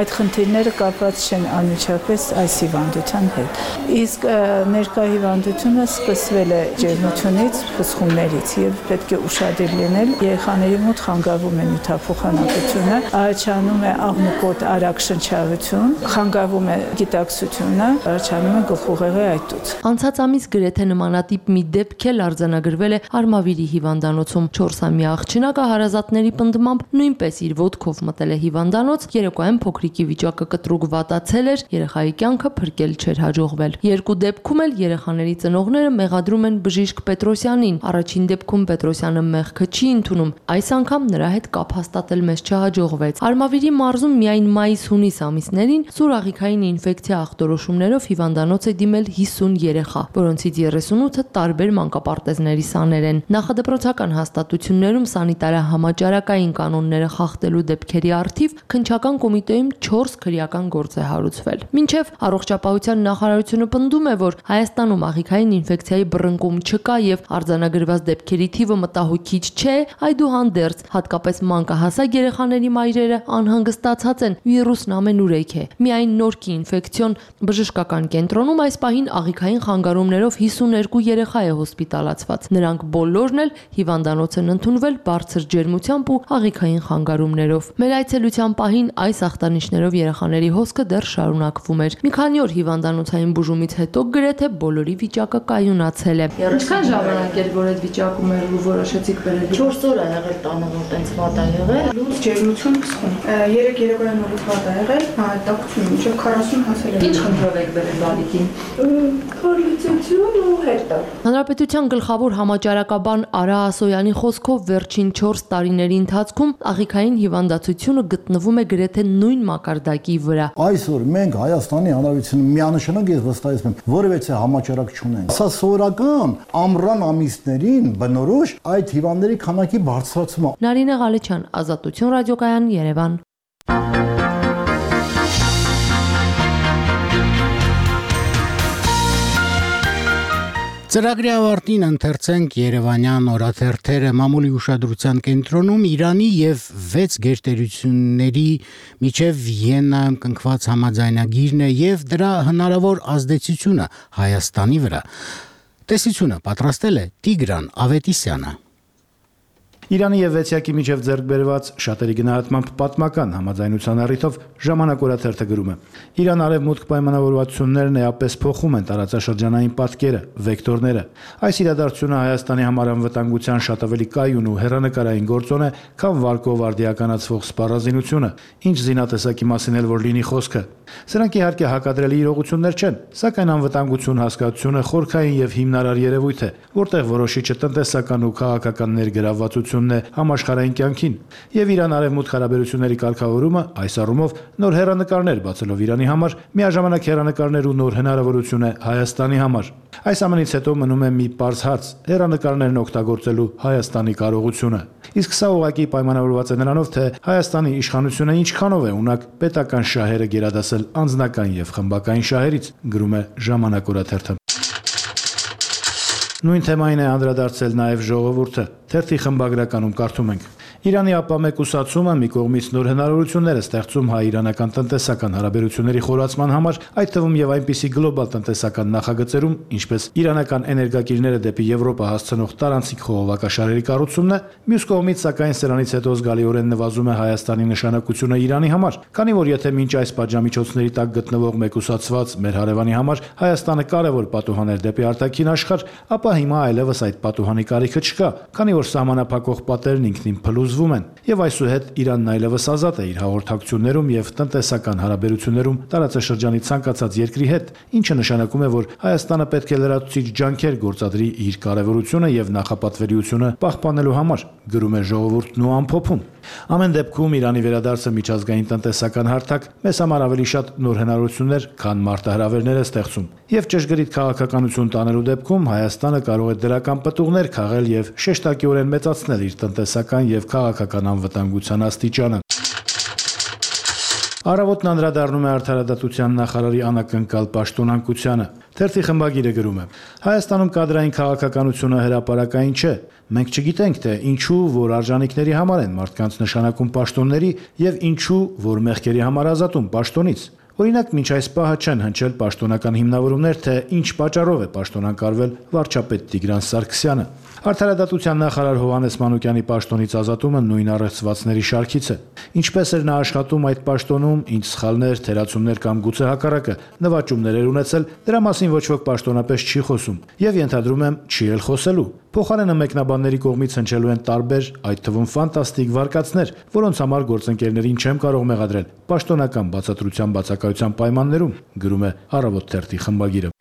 այդ խնդիրները կապված չեն անմիջապես այս հիվանդության հետ։ Իսկ ներկա հիվանդությունը սկսվել է ջերմությունից, փսխումներից եւ պետք է ուշադիր լինել։ Երեխաների մոտ խանգարվում է նյութափոխանակությունը, առաջանում է աղմուկոտ արագ շնչառություն, խանգարվում է գիտակցությունը, առաջանում է գլխուղեղի այտուց։ Անցած ամիս գրեթե նմանատիպ մի դեպք էլ արձանագրվել է Արմավիրի հիվանդանոցում։ 4-ամյա աղջնակը հարազատների պնդմամբ նույնպես իր ոտքով մտել է հիվանդանոց, երեկոյան փոքրիկի վիճակը կտրուկ վատացել էր, երեխայի կյանքը փրկել չէր հաջողվել։ Երկու դեպքում էլ երեխաների ծնողները մեղադրում են բժիշկ Պետրոսյանին։ Առաջին դեպքում Պետրոսյանը մեղքը չի ընդունում, այս անգամ նրա հետ կապ հաստատել մեզ չհաջողվեց։ Արմավիրի մարզում միայն մայիս-հունիս ամիսներին սուր աղիքային ինֆեկցիա ախտորոշումներով հիվանդանոց է դիմել 50 երեխա, որոնցից 38-ը տարբեր մանկապարտեզների սաներ են։ Նախադպրոցական հաստատություններում սանիտարահամաճարակային կանոնները խախտելու դեպքերի առթիվ քննչական կոմիտեում 4 քրեական գործ է հարուցվել։ Մինչև առողջապահության նախարարությունը պնդում է, որ Հայաստանում աղիքային ինֆեկցիայի բռնկում չկա եւ արձանագրված դեպքերի թիվը մտահոգիչ չէ, այդուհանդերձ հատկապես մանկահասակ երեխաների մայրերը անհանգստացած են, վիրուսն ամենուրեք է։ Միայն Նորքի ինֆեկցիոն բժշկական կենտրոնում այս պահին աղիքային խանգարումներով 52 երեխա է հոսպիտալացված։ Նրանք բոլորն էլ հիվանդանոց են ընդունվել բարձր ջերմությամբ ու աղիքային խանգարումներով։ Մեր այցելության պահին այս ախտանիշներով երեխաների հոսքը դեռ շարունակվում էր։ Մի քանի օր հիվանդանոցային բուժումից հետո գրեթե բոլորի վիճակը կայունացել է։ Ինչքան ժամանակ էր, որ այդ վիճակում էր ու որոշեցիք բերել։ 4 օր է եղել տանը, որ տենց վատ է եղել։ Լուրջ ջերմություն փսխում։ 3 երեկոյան նորից վատ է եղել, տաքություն մինչև 40 հասել է։ Ինչ խնդրով եք բերել բալիկին։ Քարլիցություն ու հերտար։ Հանրապետության գլխավոր համաճարակաբան Արա Ասոյանի խոսքով վերջին 4 տարիների ընթացքում աղիքային հիվանդացությունը գտնվում է գրեթե նույն մակարդակի վրա։ Այսօր մենք Հայաստանի Հանրապետությունում միանշանակ ես վստահեցնում եմ, որևէ համաճարակ չունենք։ Սա սովորական ամռան ամիսներին բնորոշ այդ հիվանդների քանակի բարձրացում է։ Նարինե Ղալեչյան, Ազատություն ռադիոկայան, Երևան։ Ծրագրի ավարտին ընթերցենք Երևանյան օրաթերթերը մամուլի ուշադրության կենտրոնում Իրանի եւ 6 գերտերությունների միջև Վիեննայում կնքված համաձայնագիրն է եւ դրա հնարավոր ազդեցությունը Հայաստանի վրա։ Տեսությունը պատրաստել է Տիգրան Ավետիսյանը։ Իրանի եւ Վեցիակի միջև ձեռք բերված շատերի գնահատմամբ պատմական համաձայնության առիթով ժամանակ օրաթերթը գրում է. Իրան-արևմուտք պայմանավորվածություններն էապես փոխում են տարածաշրջանային պատկերը, վեկտորները։ Այս իրադարձությունը Հայաստանի համար անվտանգության շատ ավելի կայուն ու հեռանկարային գործոն է, քան վարկով արդիականացվող սպառազինությունը, ինչ զինատեսակի մասին էլ որ լինի խոսքը։ Սրանք իհարկե հակադրելի իրողություններ չեն, սակայն անվտանգություն հասկացությունը խորքային եւ հիմնարար երևույթ է, որտեղ որոշիչը տնտեսական ու քաղաքական ներգրավվածությունն է համաշխարհային կյանքին, եւ Իրան-արևմուտք հարաբերությունների կարգավորումը այս առումով նոր հեռանկարներ բացելով Իրանի համար, միաժամանակ հեռանկարներ ու նոր հնարավորություն է Հայաստանի համար։ Այս ամենից հետո մնում է մի պարզ հարց՝ հեռանկարներն օգտագործելու Հայաստանի կարողությունը։ Իսկ սա ուղղակի պայմանավորված է նրանով, թե Հայաստանի իշխանությունը ինչքանով է ունակ պետական շահերը գերադասել անձնական եւ խմբական շահերից, գրում է Ժամանակ օրաթերթը։ Նույն թեմային է անդրադարձել նաև ժողովուրդը։ Թերթի խմբագրականում կարդում ենք. Իրանի ապամեկուսացումը մի կողմից նոր հնարավորություններ է ստեղծում հայ-իրանական տնտեսական հարաբերությունների խորացման համար, այդ թվում եւ այնպիսի գլոբալ տնտեսական նախագծերում, ինչպես իրանական էներգակիրները դեպի Եվրոպա հասցնող տարանցիկ խողովակաշարերի կառուցումն է, մյուս կողմից սակայն սրանից հետո զգալիորեն նվազում է Հայաստանի նշանակությունը Իրանի համար, քանի որ եթե մինչ այս պատժամիջոցների տակ գտնվող մեկուսացված մեր հարևանի համար Հայաստանը կարևոր պատուհան էր դեպի արտաքին աշխարհ, ապա հիմա այլևս այդ պատուհանի կարիքը չկա, քանի որ սահմանափակող պատերն ինքնին փլուզվում են, եւ այսուհետ Իրանն այլևս ազատ է իր հաղորդակցություններում եւ տնտեսական հարաբերություններում տարածաշրջանի ցանկացած երկրի հետ, ինչը նշանակում է, որ Հայաստանը պետք է լրացուցիչ ջանքեր գործադրի իր կարևորությունը եւ նախապատվելիությունը պահպանելու համար, գրում է ժողովուրդն ու ամփոփում։ Ամեն դեպքում Իրանի վերադարձը միջազգային տնտեսական հարթակ մեզ համար ավելի շատ նոր հնարավորություններ, քան մարտահրավերներ է ստեղծում։ Եվ ճշգրիտ քաղաքականություն տանելու դեպքում Հայաստանը կարող է դրական պտուղներ քաղել եւ շեշտակիորեն մեծացնել իր տնտեսական եւ քաղաքական անվտանգության աստիճանը։ Առավոտն անդրադառնում է արդարադատության նախարարի անակնկալ պաշտոնանկությանը։ Թերթի խմբագիրը գրում է. Հայաստանում կադրային քաղաքականությունը հրապարակային չէ։ Մենք չգիտենք, թե ինչու, որ արժանինքների համար են մարդկանց նշանակում պաշտոնների եւ ինչու, որ մեղքերի համար ազատում պաշտոնից։ Օրինակ, մինչ այս պահը չեն հնչել պաշտոնական հիմնավորումներ, թե ինչ պատճառով է պաշտոնակարվել վարչապետ Տիգրան Սարգսյանը։ Արդարադատության նախարար Հովհաննես Մանուկյանի պաշտոնից ազատումը նույն առեղծվածների շարքից է։ Ինչպես էր նա աշխատում այդ պաշտոնում, ինչ սխալներ, թերացումներ կամ գուցե հակառակը նվաճումներ էր ունեցել, դրա մասին ոչ ոք պաշտոնապես չի խոսում եւ ենթադրում եմ չի էլ խոսելու։ Փոխարենը մեկնաբանների կողմից հնչելու են տարբեր, այդ թվում ֆանտաստիկ վարկածներ, որոնց համար գործընկերներին չեմ կարող մեղադրել պաշտոնական բացատրության բացակայության պայմաններում, գրում է Առավոտ թերթի խմբագիրը։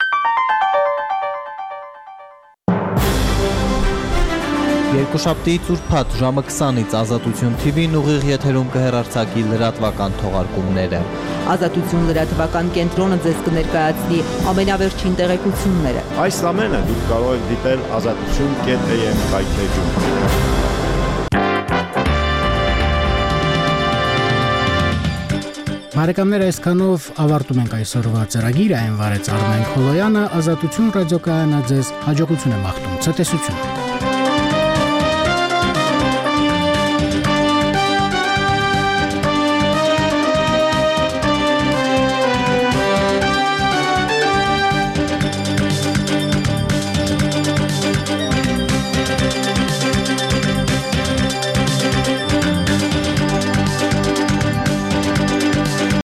Երկուշաբթիից ուրբաթ ժամը 20-ից Ազատություն TV-ն ուղիղ եթերում կհեռարձակի լրատվական թողարկումները։ Ազատություն լրատվական կենտրոնը ձեզ կներկայացնի ամենավերջին տեղեկությունները։ Այս ամենը դուք կարող եք դիտել azatutun.am կայքէջում։ Բարեկամներ, այսքանով ավարտում ենք այսօրվա ծրագիրը, այն վարեց Արմեն Խոլոյանը, Ազատություն ռադիոկայանը ձեզ հաջողություն է մաղթում, ցտեսություն։